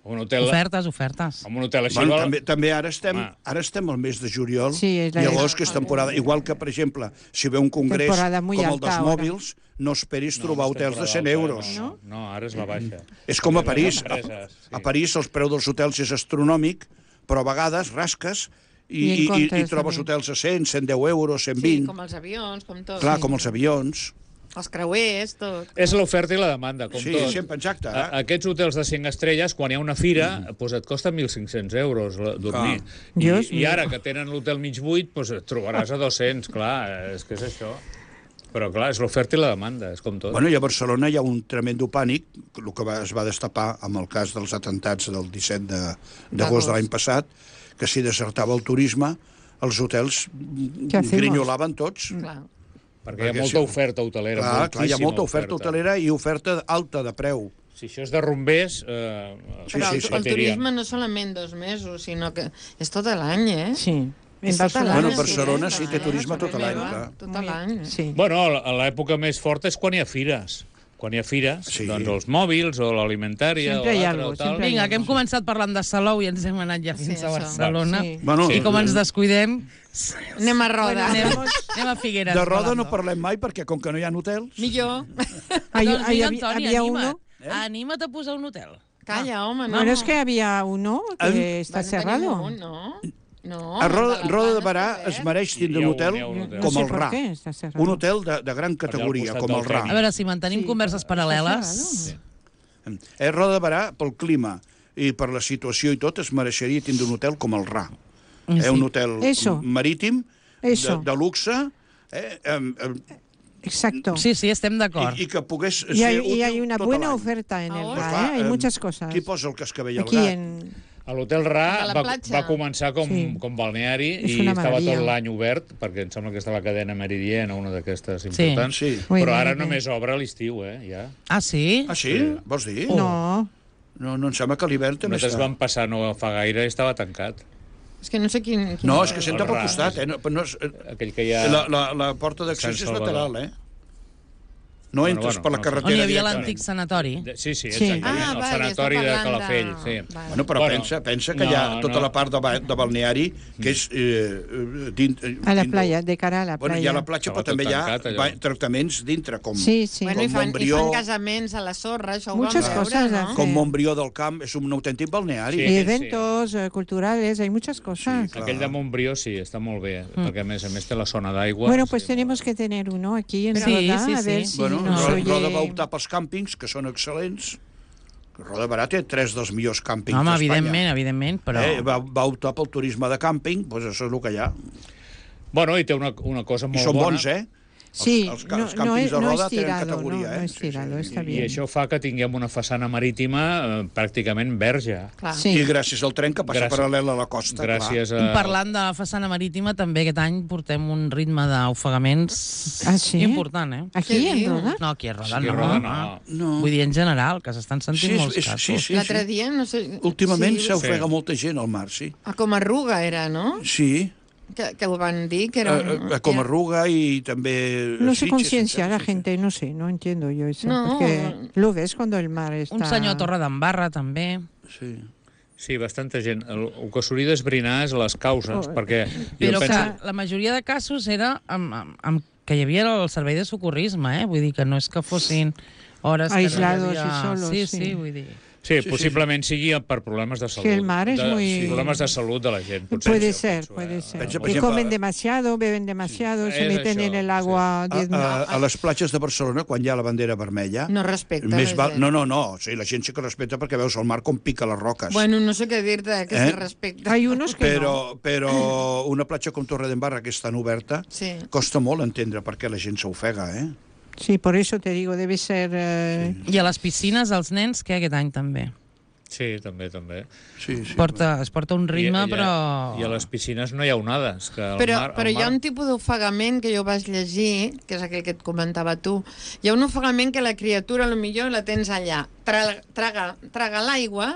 Un hotel... Ofertes. En un hotel així... També ara estem al mes de juliol, llavors que és temporada... Igual que, per exemple, si ve un congrés com el dels mòbils, no esperis trobar hotels de 100 euros. No, ara és la baixa. És com a París. A París el preu dels hotels és astronòmic, però a vegades rasques i trobes hotels a 100, 110 euros, 120... Sí, com els avions, com tot. Clar, com els avions... Els creuers, tot. És l'oferta i la demanda, com tot. Sí, sempre, exacte. Aquests hotels de 5 estrelles, quan hi ha una fira, et costa 1.500 euros dormir. I ara que tenen l'hotel mig buit, et trobaràs a 200, clar, és que és això. Però, clar, és l'oferta i la demanda, és com tot. Bueno, i a Barcelona hi ha un tremendo pànic, el que es va destapar amb el cas dels atentats del 17 d'agost de l'any passat, que si desertava el turisme, els hotels grinyolaven tots. Clar. Perquè hi ha molta oferta hotelera. Clar, hi ha molta oferta hotelera i oferta alta de preu. Si això és de rumbers... Però el turisme no solament 2 mesos, sinó que és tot l'any, Sí. Bueno, Barcelona sí té turisme tot l'any. Tot l'any. Bueno, l'època més forta és quan hi ha fires. Quan hi ha fires, doncs els mòbils o l'alimentària o l'altre o tal... Vinga, que hem començat parlant de Salou i ens hem anat ja fins a Barcelona. I com ens descuidem... Anem a Roda. Anem a Figueres. De Roda no parlem mai, perquè com que no hi ha hotels... Millor. Doncs mira, Antoni, anima't a posar un hotel. Calla, home, no. Bueno, es que había uno que está cerrado. No. A Roda de Barà es mereix tindre un hotel com el Ra. Un hotel de gran categoria, com el Ra. A veure, si mantenim converses paral·leles... Roda de Barà, pel clima i per la situació i tot, es mereixeria tindre un hotel com el Ra. Un hotel marítim, de luxe... Exacto. Sí, estem d'acord. I que pogués ser útil tot l'any. Y hay una buena oferta en el Ra, hay muchas cosas. Qui posa el cascabell al gat? L'Hotel Ra va començar com balneari i estava tot l'any obert, perquè em sembla que està la cadena Meridiana, una d'aquestes importants, però ara només obre a l'estiu, ja. Ah, sí? Ah, sí? Vols dir? No. No, em sembla que l'hivern també està. Nosaltres vam passar no fa gaire i estava tancat. És que no sé quin... No, és que s'entra pel costat, Aquell que hi ha... La porta d'accés és lateral, No entres per la carretera. On hi havia l'antic sanatori. Sí, exactament, el sanatori de Calafell. Bueno, però pensa que hi ha tota la part de balneari que és... A la playa, de cara a la playa. Bueno, hi ha la platja, però també hi ha tractaments dintre, com Montbrió... I fan casaments a la sorra, això ho vam veure, no? Com Montbrió del Camp, és un autèntic balneari. Y eventos culturales, hay muchas cosas. Aquell de Montbrió sí, està molt bé, perquè a més té la zona d'aigua. Bueno, pues tenemos que tener uno aquí en Roda, a ver si... Roda va optar pels càmpings, que són excel·lents. Roda Barà té 3 dels millors càmpings d'Espanya. Home, evidentment, però... Va optar pel turisme de càmping, doncs això és el que hi ha. Bueno, i té una cosa molt bona... I són bons, Sí, els càmpings de roda tenen categoria. No es tirado, está bien. I això fa que tinguem una façana marítima pràcticament verge. I gràcies al tren que passa paral·lel a la costa. Gràcies a... Parlant de la façana marítima, també aquest any portem un ritme d'ofegaments important, eh? Aquí, en Roda? No, aquí a Roda no. Vull dir, en general, que s'estan sentint molts casos. L'altre dia, no sé... Últimament s'ofega molta gent al mar, sí. Com arruga era, no? Sí. Que ho van dir, que era... Como arruga y también... No se conciencia la gente, no sé, no entiendo yo eso. No. Porque lo ves cuando el mar está... Un senyor a Torredembarra, també. Sí. Sí, bastanta gent. El que s'hauria d'esbrinar és les causes, perquè... Però que la majoria de casos era que hi havia el servei de socorrisme, eh? Vull dir que no és que fossin hores... Aislados y solos, sí, vull dir... Sí, possiblement sigui per problemes de salut. Que el mar es muy... Problemes de salut de la gent. Puede ser. Y comen demasiado, beben demasiado, se meten en el agua... A les platges de Barcelona, quan hi ha la bandera vermella... No respecta la gent. No. O sigui, la gent sí que respecta perquè veus el mar com pica les roques. Bueno, no sé què dir-te, que se respecta. Hay unos que no. Però una platja com Torredembarra, que és tan oberta, costa molt entendre per què la gent s'ofega, eh? Sí, por eso te digo, debe ser... I a les piscines, els nens, que aquest any també. Sí, també. Sí. Es porta un ritme, però... I a les piscines no hi ha onades. Però hi ha un tipus d'ofegament que jo vaig llegir, que és aquell que et comentava tu. Hi ha un ofegament que la criatura, potser la tens allà. Traga l'aigua,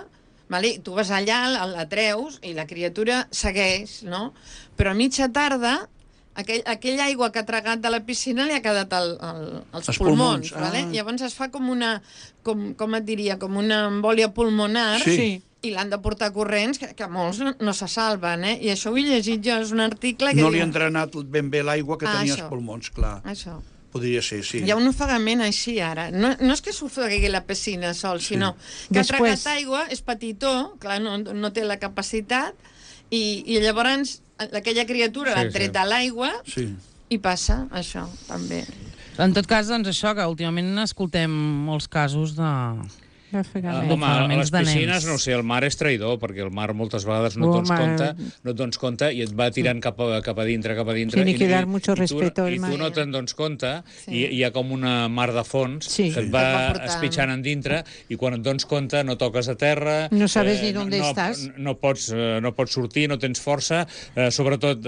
tu vas allà, la treus, i la criatura segueix, no? Però a mitja tarda... Aquella aigua que ha tragat de la piscina li ha quedat als pulmons. Llavors es fa com una, com et diria, com una embòlia pulmonar i l'han de portar corrents, que molts no se salven. I això ho he llegit jo, és un article que... No li ha drenat ben bé l'aigua que tenia als pulmons, clar. Això. Podria ser, sí. Hi ha un ofegament així, ara. No és que s'ofegui la piscina sol, sinó que ha tragat aigua, és petitó, clar, no té la capacitat, i llavors... aquella criatura l'han tret a l'aigua i passa això, també. En tot cas, doncs això, que últimament escoltem molts casos de... Home, a les piscines, no sé, el mar és traïdor, perquè el mar moltes vegades no et dones compte i et va tirant cap a dintre. Tiene que dar mucho respeto al mar. I tu no te'n dones compte, i hi ha com una mar de fons que et va espitxant en dintre, i quan et dones compte no toques a terra... No sabes ni on estàs. No pots sortir, no tens força, sobretot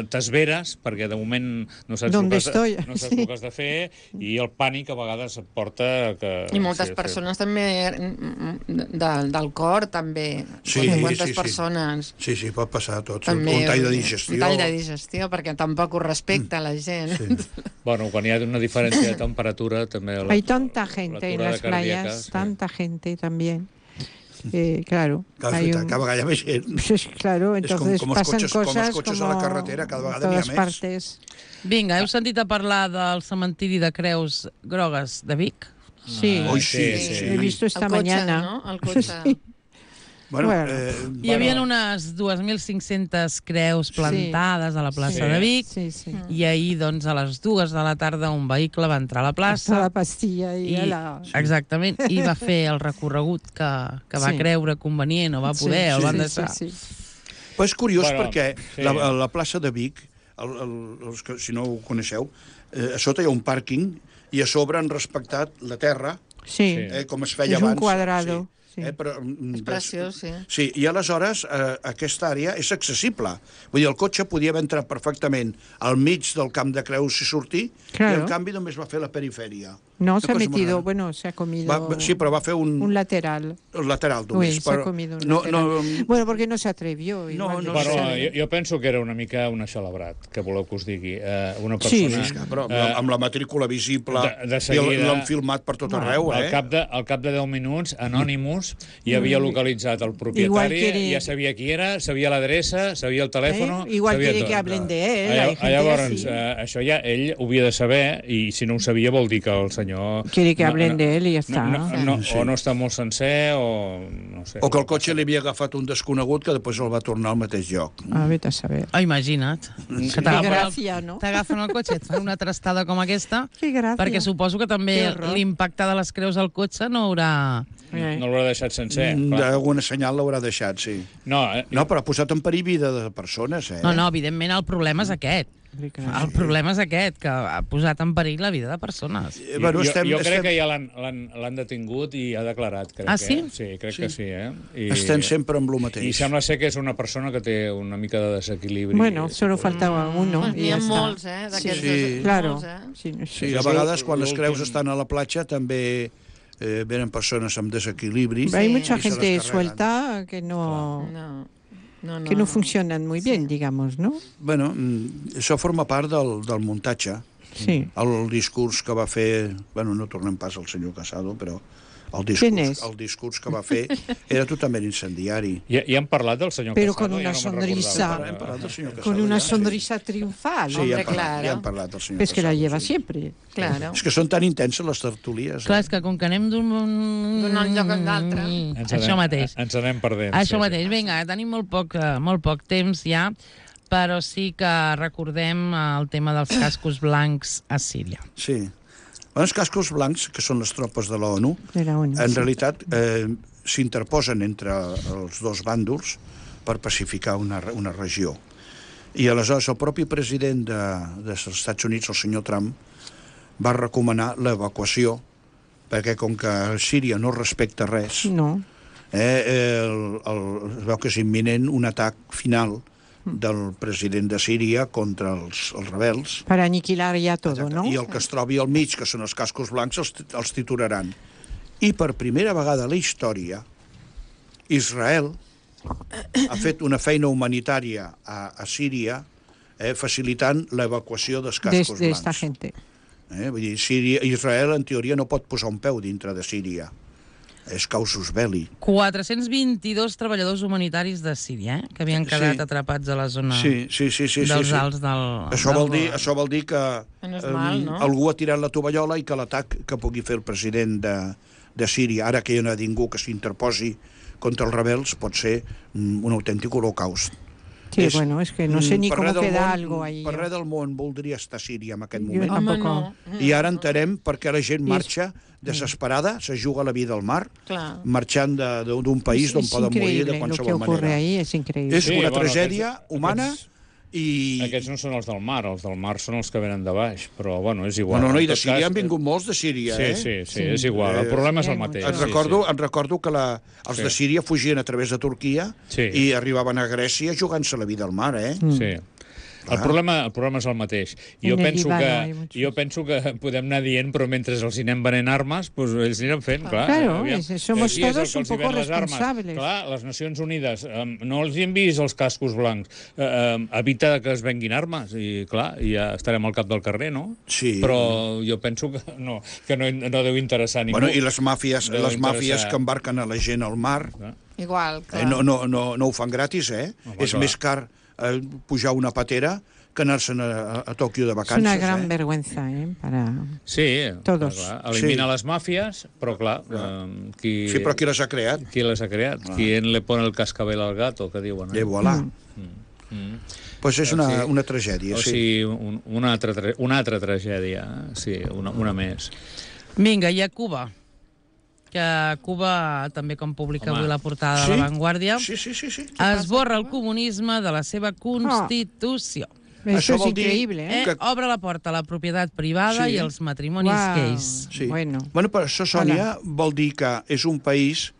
t'esveres, perquè de moment no saps el que has de fer, i el pànic a vegades et porta... I moltes persones també del cor, també. Quantes persones... Sí, pot passar tot. Un tall de digestió. Un tall de digestió, perquè tampoc ho respecta la gent. Bueno, quan hi ha una diferència de temperatura, també... Hay tanta gente en las playas, tanta gente también. Claro. Cada vegada hi ha més gent. Claro, entonces pasan cosas com els cotxes a la carretera, cada vegada n'hi ha més. Vinga, heu sentit a parlar del cementiri de Creus Grogues de Vic? Sí, he visto esta mañana. ¿no? El cotxe. Bueno, hi havia unes 2.500 creus plantades a la plaça de Vic i ahir, doncs, a les 2 de la tarda un vehicle va entrar a la plaça. A la pastilla Exactament, i va fer el recorregut que va creure convenient o va poder, el van deixar. Però és curiós perquè la plaça de Vic, si no ho coneixeu, a sota hi ha un pàrquing i a sobre han respectat la terra, com es feia abans. És un quadrado. És preciós, Sí, i aleshores aquesta àrea és accessible. Vull dir, el cotxe podia haver entrat perfectament al mig del camp de Creus i sortir, i en canvi només va fer la perifèria. No, se ha metido, se ha comido... Sí, però va fer un lateral. Un lateral només. Se ha comido un lateral. Bueno, porque no se atrevió. Jo penso que era una mica un axelebrat, que voleu que us digui. Una persona... Sí, però amb la matrícula visible, i l'han filmat per tot arreu, Al cap de 10 minuts, Anonymous ja havia localitzat el propietari, ja sabia qui era, sabia l'adreça, sabia el telèfon... Igual quiere que hablen de él. Llavors, això ja ell ho havia de saber, i si no ho sabia vol dir que el senyor... Quiere que hablen de él y ya está. O no està molt sencer, o no sé. O que el cotxe li havia agafat un desconegut que després el va tornar al mateix lloc. Vete a saber. Imagina't. T'agafen el cotxe, et fan una trastada com aquesta, perquè suposo que també l'impacte de les creus al cotxe no haurà... No l'haurà deixat sencer. D'alguna senyal l'haurà deixat, sí. No, però ha posat en perill vida de persones, No, evidentment el problema és aquest. El problema és aquest, que ha posat en perill la vida de persones. Jo crec que ja l'han detingut i ha declarat. Sí? Sí, crec que sí. Estem sempre amb el mateix. I sembla ser que és una persona que té una mica de desequilibri. Bueno, solo faltava alguno. N'hi ha molts, d'aquests. Sí, claro. Sí, a vegades quan les creus estan a la platja també venen persones amb desequilibri. Hay mucha gente suelta que no funcionan muy bien, digamos, ¿no? Bueno, això forma part del muntatge. Sí. El discurs que va fer... Bueno, no tornem pas al senyor Casado, però el discurs que va fer era totalment incendiari. Ja han parlat del senyor Casado? Però con una sonrisa. Hem parlat del senyor Casado. Con una sonrisa triunfal. Sí, ja hem parlat del senyor Casado. És que la lleva sempre. Claro. És que són tan intenses les tertulies. Clar, és que com que anem d'un lloc a l'altre. Això mateix. Ens anem perdent. Això mateix. Vinga, tenim molt poc temps ja, però sí que recordem el tema dels cascos blancs a Síria. Sí. Els cascos blancs, que són les tropes de l'ONU, en realitat s'interposen entre els dos bàndols per pacificar una regió. I aleshores el propi president dels Estats Units, el senyor Trump, va recomanar l'evacuació, perquè com que Síria no respecta res, es veu que és imminent un atac final del president de Síria contra els rebels. Per aniquilar ja tot, no? I el que es trobi al mig, que són els cascos blancs, els titularan. I per primera vegada a la història, Israel ha fet una feina humanitària a Síria facilitant l'evacuació dels cascos blancs. D'esta gente. Vull dir, Israel, en teoria, no pot posar un peu dintre de Síria. És causus belli. 422 treballadors humanitaris de Síria, que havien quedat atrapats a la zona dels Alts del... Això vol dir que algú ha tirat la tovallola i que l'atac que pugui fer el president de Síria, ara que hi ha ningú que s'interposi contra els rebels, pot ser un autèntic holocaust. Sí, bueno, es que no sé ni com queda algo ahí. Per res del món voldria estar a Síria en aquest moment. Home, no. I ara entenem per què la gent marxa desesperada, se juga la vida al mar, marxant d'un país d'on poden morir de qualsevol manera. És increïble. És una tragèdia humana i... Aquests no són els del mar són els que venen de baix, però bueno, és igual. No, i de Síria han vingut molts de Síria, Sí, és igual, el problema és el mateix. Recordo que els de Síria fugien a través de Turquia i arribaven a Grècia jugant-se la vida al mar, Sí. El problema és el mateix. Jo penso que podem anar dient, però mentre els hi anem venent armes, doncs ells aniran fent, clar. Claro, somos todos un poco responsables. Clar, les Nacions Unides no els hi han vist els cascos blancs. Evita que es venguin armes i, clar, ja estarem al cap del carrer, no? Sí. Però jo penso que no deu interessar a ningú. Bueno, i les màfies que embarquen a la gent al mar... Igual, clar. No ho fan gratis, És més car pujar una patera que anar-se'n a Tòquio de vacances. És una gran vergüenza, para todos. Elimina les màfies, però clar... Sí, però qui les ha creat? Qui les ha creat? Qui le pone el cascabel al gato, que diuen. De voilà. Pues és una tragèdia, sí. O sigui, una altra tragèdia, sí, una més. Vinga, i a Cuba? Que Cuba, també com publica avui la portada de La Vanguardia, esborra el comunisme de la seva Constitució. Això és increïble, Obre la porta a la propietat privada i els matrimonis gais. Bueno, per això, Sònia, vol dir que és un país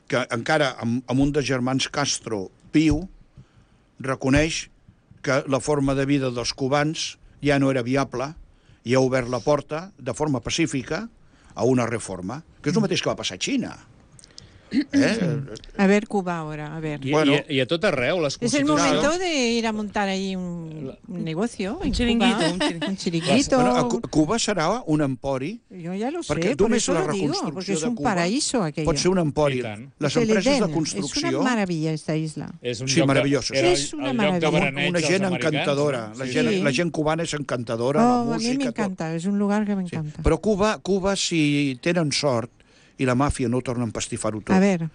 que encara amb un dels germans Castro viu, reconeix que la forma de vida dels cubans ja no era viable i ha obert la porta de forma pacífica a una reforma, que és el mateix que va passar a Xina. A ver Cuba ahora, a ver. Y a tot arreu, les constitucions... Es el momento de ir a montar ahí un negocio. Un chiringuito. Un chiringuito. Bueno, Cuba serà un empori. Yo ya lo sé, por eso lo digo, porque es un paraíso aquello. Pot ser un empori. Les empreses de construcció... Es una maravilla esta isla. Sí, maravillosa. És una meravella. Una gent encantadora. La gent cubana és encantadora, la música... A mi m'encanta, és un lugar que m'encanta. Però Cuba, si tenen sort, i la màfia no torna a empastifar-ho tot. A ver.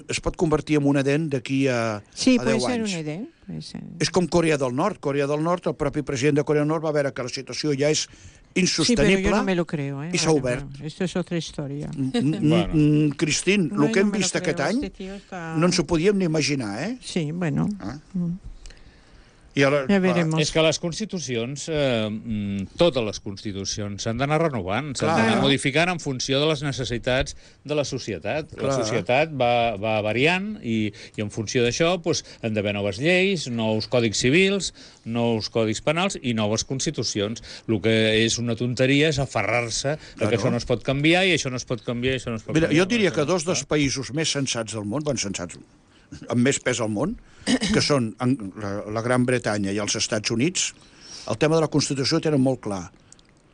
Es pot convertir en un Edén d'aquí a 10 anys. Sí, puede ser un Edén. És com Corea del Nord. Corea del Nord, el propi president de Corea del Nord va veure que la situació ja és insostenible. Sí, pero yo no me lo creo. I s'ha obert. Esto es otra historia. Cristín, el que hem vist aquest any no ens ho podíem ni imaginar, Sí, bueno. Ja veremos. És que les constitucions, totes les constitucions, s'han d'anar renovant, s'han d'anar modificant en funció de les necessitats de la societat. La societat va variant i en funció d'això han d'haver noves lleis, nous còdics civils, nous còdics penals i noves constitucions. El que és una tonteria és aferrar-se que això no es pot canviar i això no es pot canviar i això no es pot canviar. Mira, jo diria que dos dels països més sensats del món, sensats amb més pes al món, que són la Gran Bretanya i els Estats Units, el tema de la Constitució ho tenen molt clar.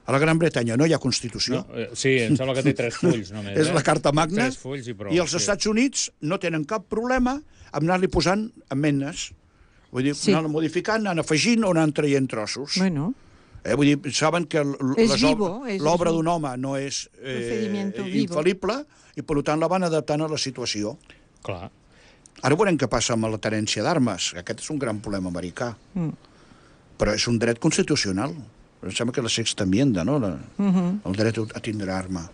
A la Gran Bretanya no hi ha Constitució. Sí, em sembla que té 3 fulls només. És la Carta Magna. 3 fulls i prou. I els Estats Units no tenen cap problema amb anar-li posant amendnes. Vull dir, anar modificant, anar afegint o anar traient trossos. Bueno. Vull dir, saben que l'obra d'un home no és infal·lible i, per tant, la van adaptant a la situació. Clar. Ara veurem què passa amb la tenència d'armes. Aquest és un gran problema americà. Però és un dret constitucional. Em sembla que la sexta enmienda, no? El dret a tindre arma.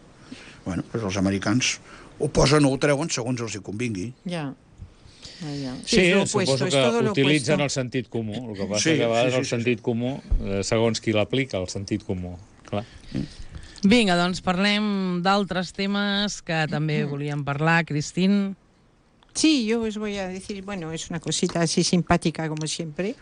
Bueno, doncs els americans ho posen o ho treuen segons els hi convingui. Ja. Sí, suposo que utilitzen el sentit comú. El que passa que a vegades el sentit comú, segons qui l'aplica, el sentit comú. Clar. Vinga, doncs parlem d'altres temes que també volíem parlar. Cristín. Sí, yo os voy a decir, bueno, es una cosita así simpática como siempre.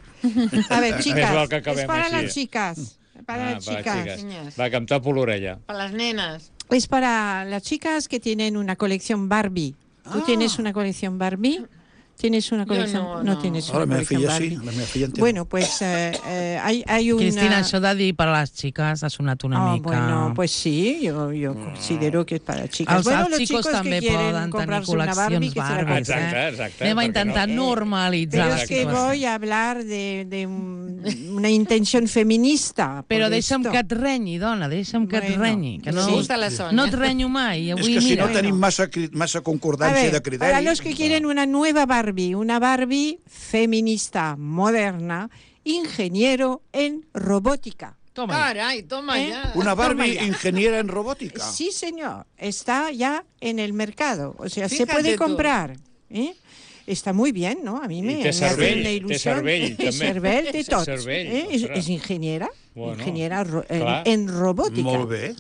A ver, chicas, es para las chicas. Para las chicas. Va, que em tapo l'orella. Para las nenas. Es para las chicas que tienen una colección Barbie. ¿Tú tienes una colección Barbie? ¿Tienes una colección? No tienes una colección Barbie. La meva filla entiende. Bueno, pues hay una... Cristina, això de dir per a les xiques ha sonat una mica... Bueno, pues sí, yo considero que es para chicas. Els chicos també poden tenir col·leccions Barbie. Exacte. Anem a intentar normalitzar. Pero es que voy a hablar de una intención feminista. Però deixa'm que et renyi, dona, deixa'm que et renyi. Que no et renyo mai. És que si no tenim massa concordància de criteri... Para los que quieren una nueva Barbie, una Barbie feminista, moderna, ingeniero en robótica. Toma. Caray, toma ya. Una Barbie ingeniera en robótica. Sí, señor. Está ya en el mercado. O sea, se puede comprar. Está muy bien, ¿no? A mí me hace una ilusión. Té cervell, de tot. Es ingeniera. Bueno, ingeniera en robótica. Molt bé.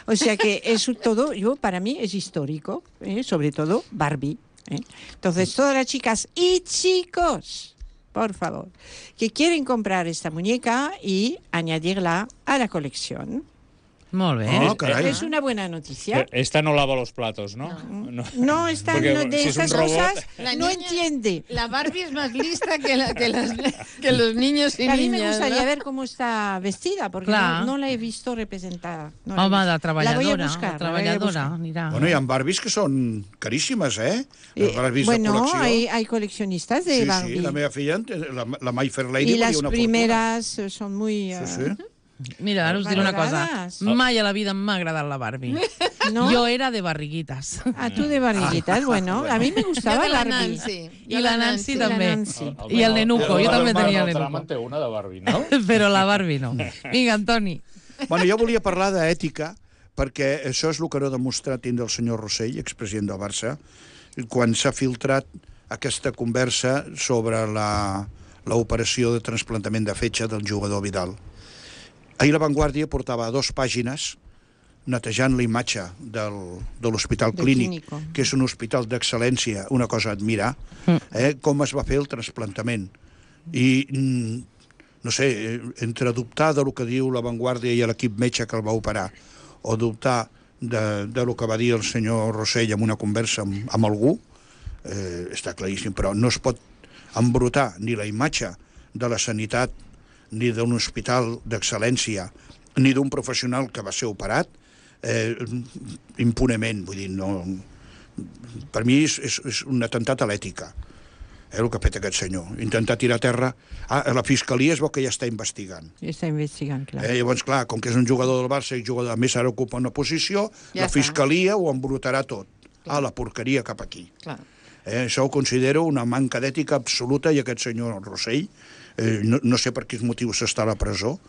O sea que eso todo, para mí es histórico. Sobre todo Barbie. Entonces, todas las chicas y chicos, por favor, que quieren comprar esta muñeca y añadirla a la colección. Molt bé. Es una buena noticia. Esta no lava los platos, ¿no? No, esta de estas cosas no entiende. La Barbie es más lista que los niños y niñas. A mí me gustaría ver cómo está vestida, porque no la he visto representada. Home, de treballadora. La voy a buscar. Bueno, hi ha Barbies que són caríssimes, Bueno, hay coleccionistas de Barbie. Sí, la meva filla, la My Fair Lady, y las primeras son muy... Mira, ara us diré una cosa. Mai a la vida m'ha agradat la Barbie. ¿No? Yo era de barriguitas. Tú de barriguitas, bueno. A mí me gustaba la Barbie. I la Nancy també. I el nenuco, jo també tenia el nenuco. Té una de Barbie, no? Però la Barbie no. Vinga, Antoni. Bueno, jo volia parlar d'ètica, perquè això és el que no ha demostrat tindre el senyor Rossell, expresident del Barça, quan s'ha filtrat aquesta conversa sobre l'operació de trasplantament de fetge del jugador Vidal. Ahir La Vanguardia portava a 2 pàgines netejant la imatge de l'Hospital Clínic, que és un hospital d'excel·lència, una cosa a admirar, com es va fer el trasplantament. I, no sé, entre dubtar del que diu La Vanguardia i l'equip metge que el va operar, o dubtar del que va dir el senyor Rossell en una conversa amb algú, està claríssim, però no es pot embrutar ni la imatge de la sanitat ni d'un hospital d'excel·lència, ni d'un professional que va ser operat, impunement. Vull dir, no... Per mi és un atemptat a l'ètica, el que ha fet aquest senyor. Intentar tirar a terra... La Fiscalia es veu que ja està investigant. Està investigant, clar. Llavors, clar, com que és un jugador del Barça i jugador, a més ara ocupa una posició, la Fiscalia ho embrutarà tot. La porqueria cap aquí. Això ho considero una manca d'ètica absoluta, i aquest senyor Rossell, no sé per quins motius està a la presó,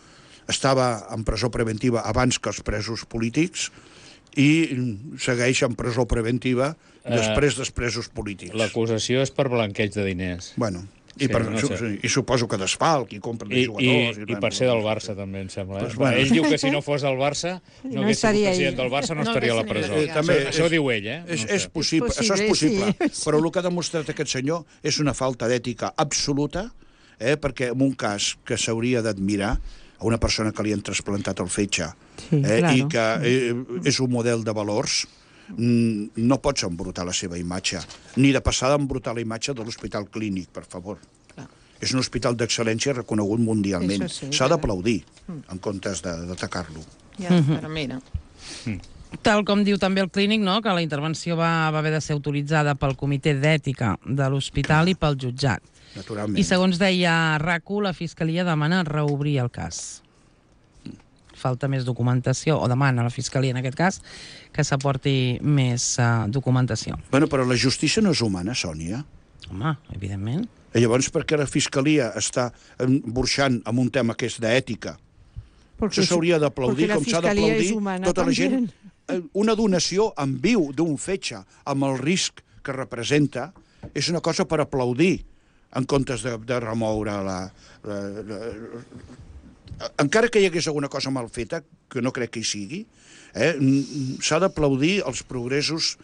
estava en presó preventiva abans que els presos polítics i segueix en presó preventiva després dels presos polítics. L'acusació és per blanqueig de diners. Bueno. I suposo que d'asfalt, i compren de jugadors... I per ser del Barça, també, em sembla. Pues bueno. Ell diu que si no fos del Barça, no hagués sigut president del Barça, no estaria a la presó. Això ho diu ell, eh? És possible, això és possible. Però el que ha demostrat aquest senyor és una falta d'ètica absoluta, perquè en un cas que s'hauria d'admirar, a una persona que li han trasplantat el fetge, i que és un model de valors, no pots embrutar la seva imatge, ni de passada embrutar la imatge de l'Hospital Clínic, per favor. És un hospital d'excel·lència reconegut mundialment. S'ha d'aplaudir, en comptes d'atacar-lo. Ja, però mira... Tal com diu també el Clínic, no?, que la intervenció va haver de ser autoritzada pel Comitè d'Ètica de l'Hospital i pel jutjat. Naturalment. I segons deia RAC1, la Fiscalia demana reobrir el cas. Falta més documentació, o demana a la Fiscalia, en aquest cas, que s'aporti més documentació. Bueno, però la justícia no és humana, Sònia. Home, evidentment. I llavors, per què la Fiscalia està burxant amb un tema que és d'ètica? Això s'hauria d'aplaudir, com s'ha d'aplaudir tota la gent. Una donació en viu d'un fetge, amb el risc que representa, és una cosa per aplaudir, en comptes de remoure encara que hi hagués alguna cosa mal feta, que no crec que hi sigui, s'ha d'aplaudir els progressos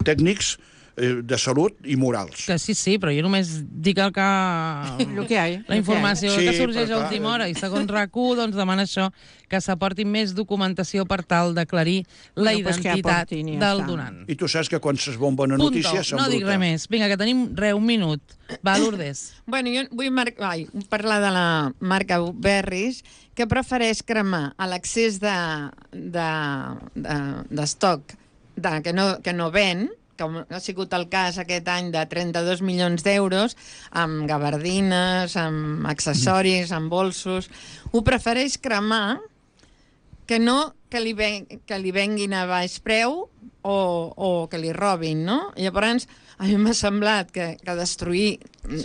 tècnics de salut i morals. Que sí, però jo només dic el que... La informació que sorgeix a última hora. I segons RAC1, doncs demana això, que s'aporti més documentació per tal d'aclarir la identitat del donant. I tu saps que quan s'esbomba una notícia s'embruta. No dic res més. Vinga, que tenim un minut. Va, Lourdes. Bueno, jo vull parlar de la marca Berris, que prefereix cremar a l'accés d'estoc que no ven, com ha sigut el cas aquest any de 32 milions d'euros, amb gabardines, amb accessoris, amb bolsos. Ho prefereix cremar que no que li venguin a baix preu o que li robin, no? Llavors, a mi m'ha semblat que destruir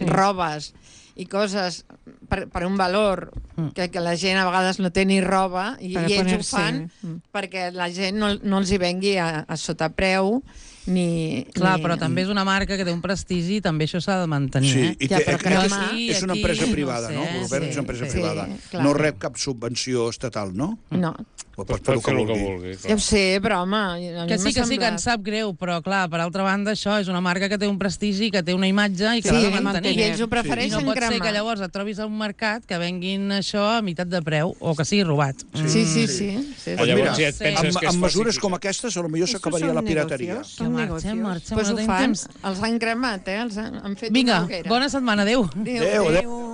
robes i coses per un valor que la gent a vegades no té ni roba, i ells ho fan perquè la gent no els hi vengui a sotapreu. Clar, però també és una marca que té un prestigi i també això s'ha de mantenir. Sí, és una empresa privada, no? Govern és una empresa privada. No rep cap subvenció estatal, no? No. Pot fer el que vulgui. Ja ho sé, però home... Que sí, que ens sap greu, però clar, per altra banda, això és una marca que té un prestigi, que té una imatge i que l'ha de mantenir. I ells ho prefereixen cremar. No pot ser que llavors et trobis a un mercat que venguin això a meitat de preu o que sigui robat. Sí. Amb mesures com aquestes, potser s'acabaria la pirateria. Marxem, doncs ho fan. Els han cremat, els han fet una hoguera. Vinga, bona setmana, adéu. Adéu.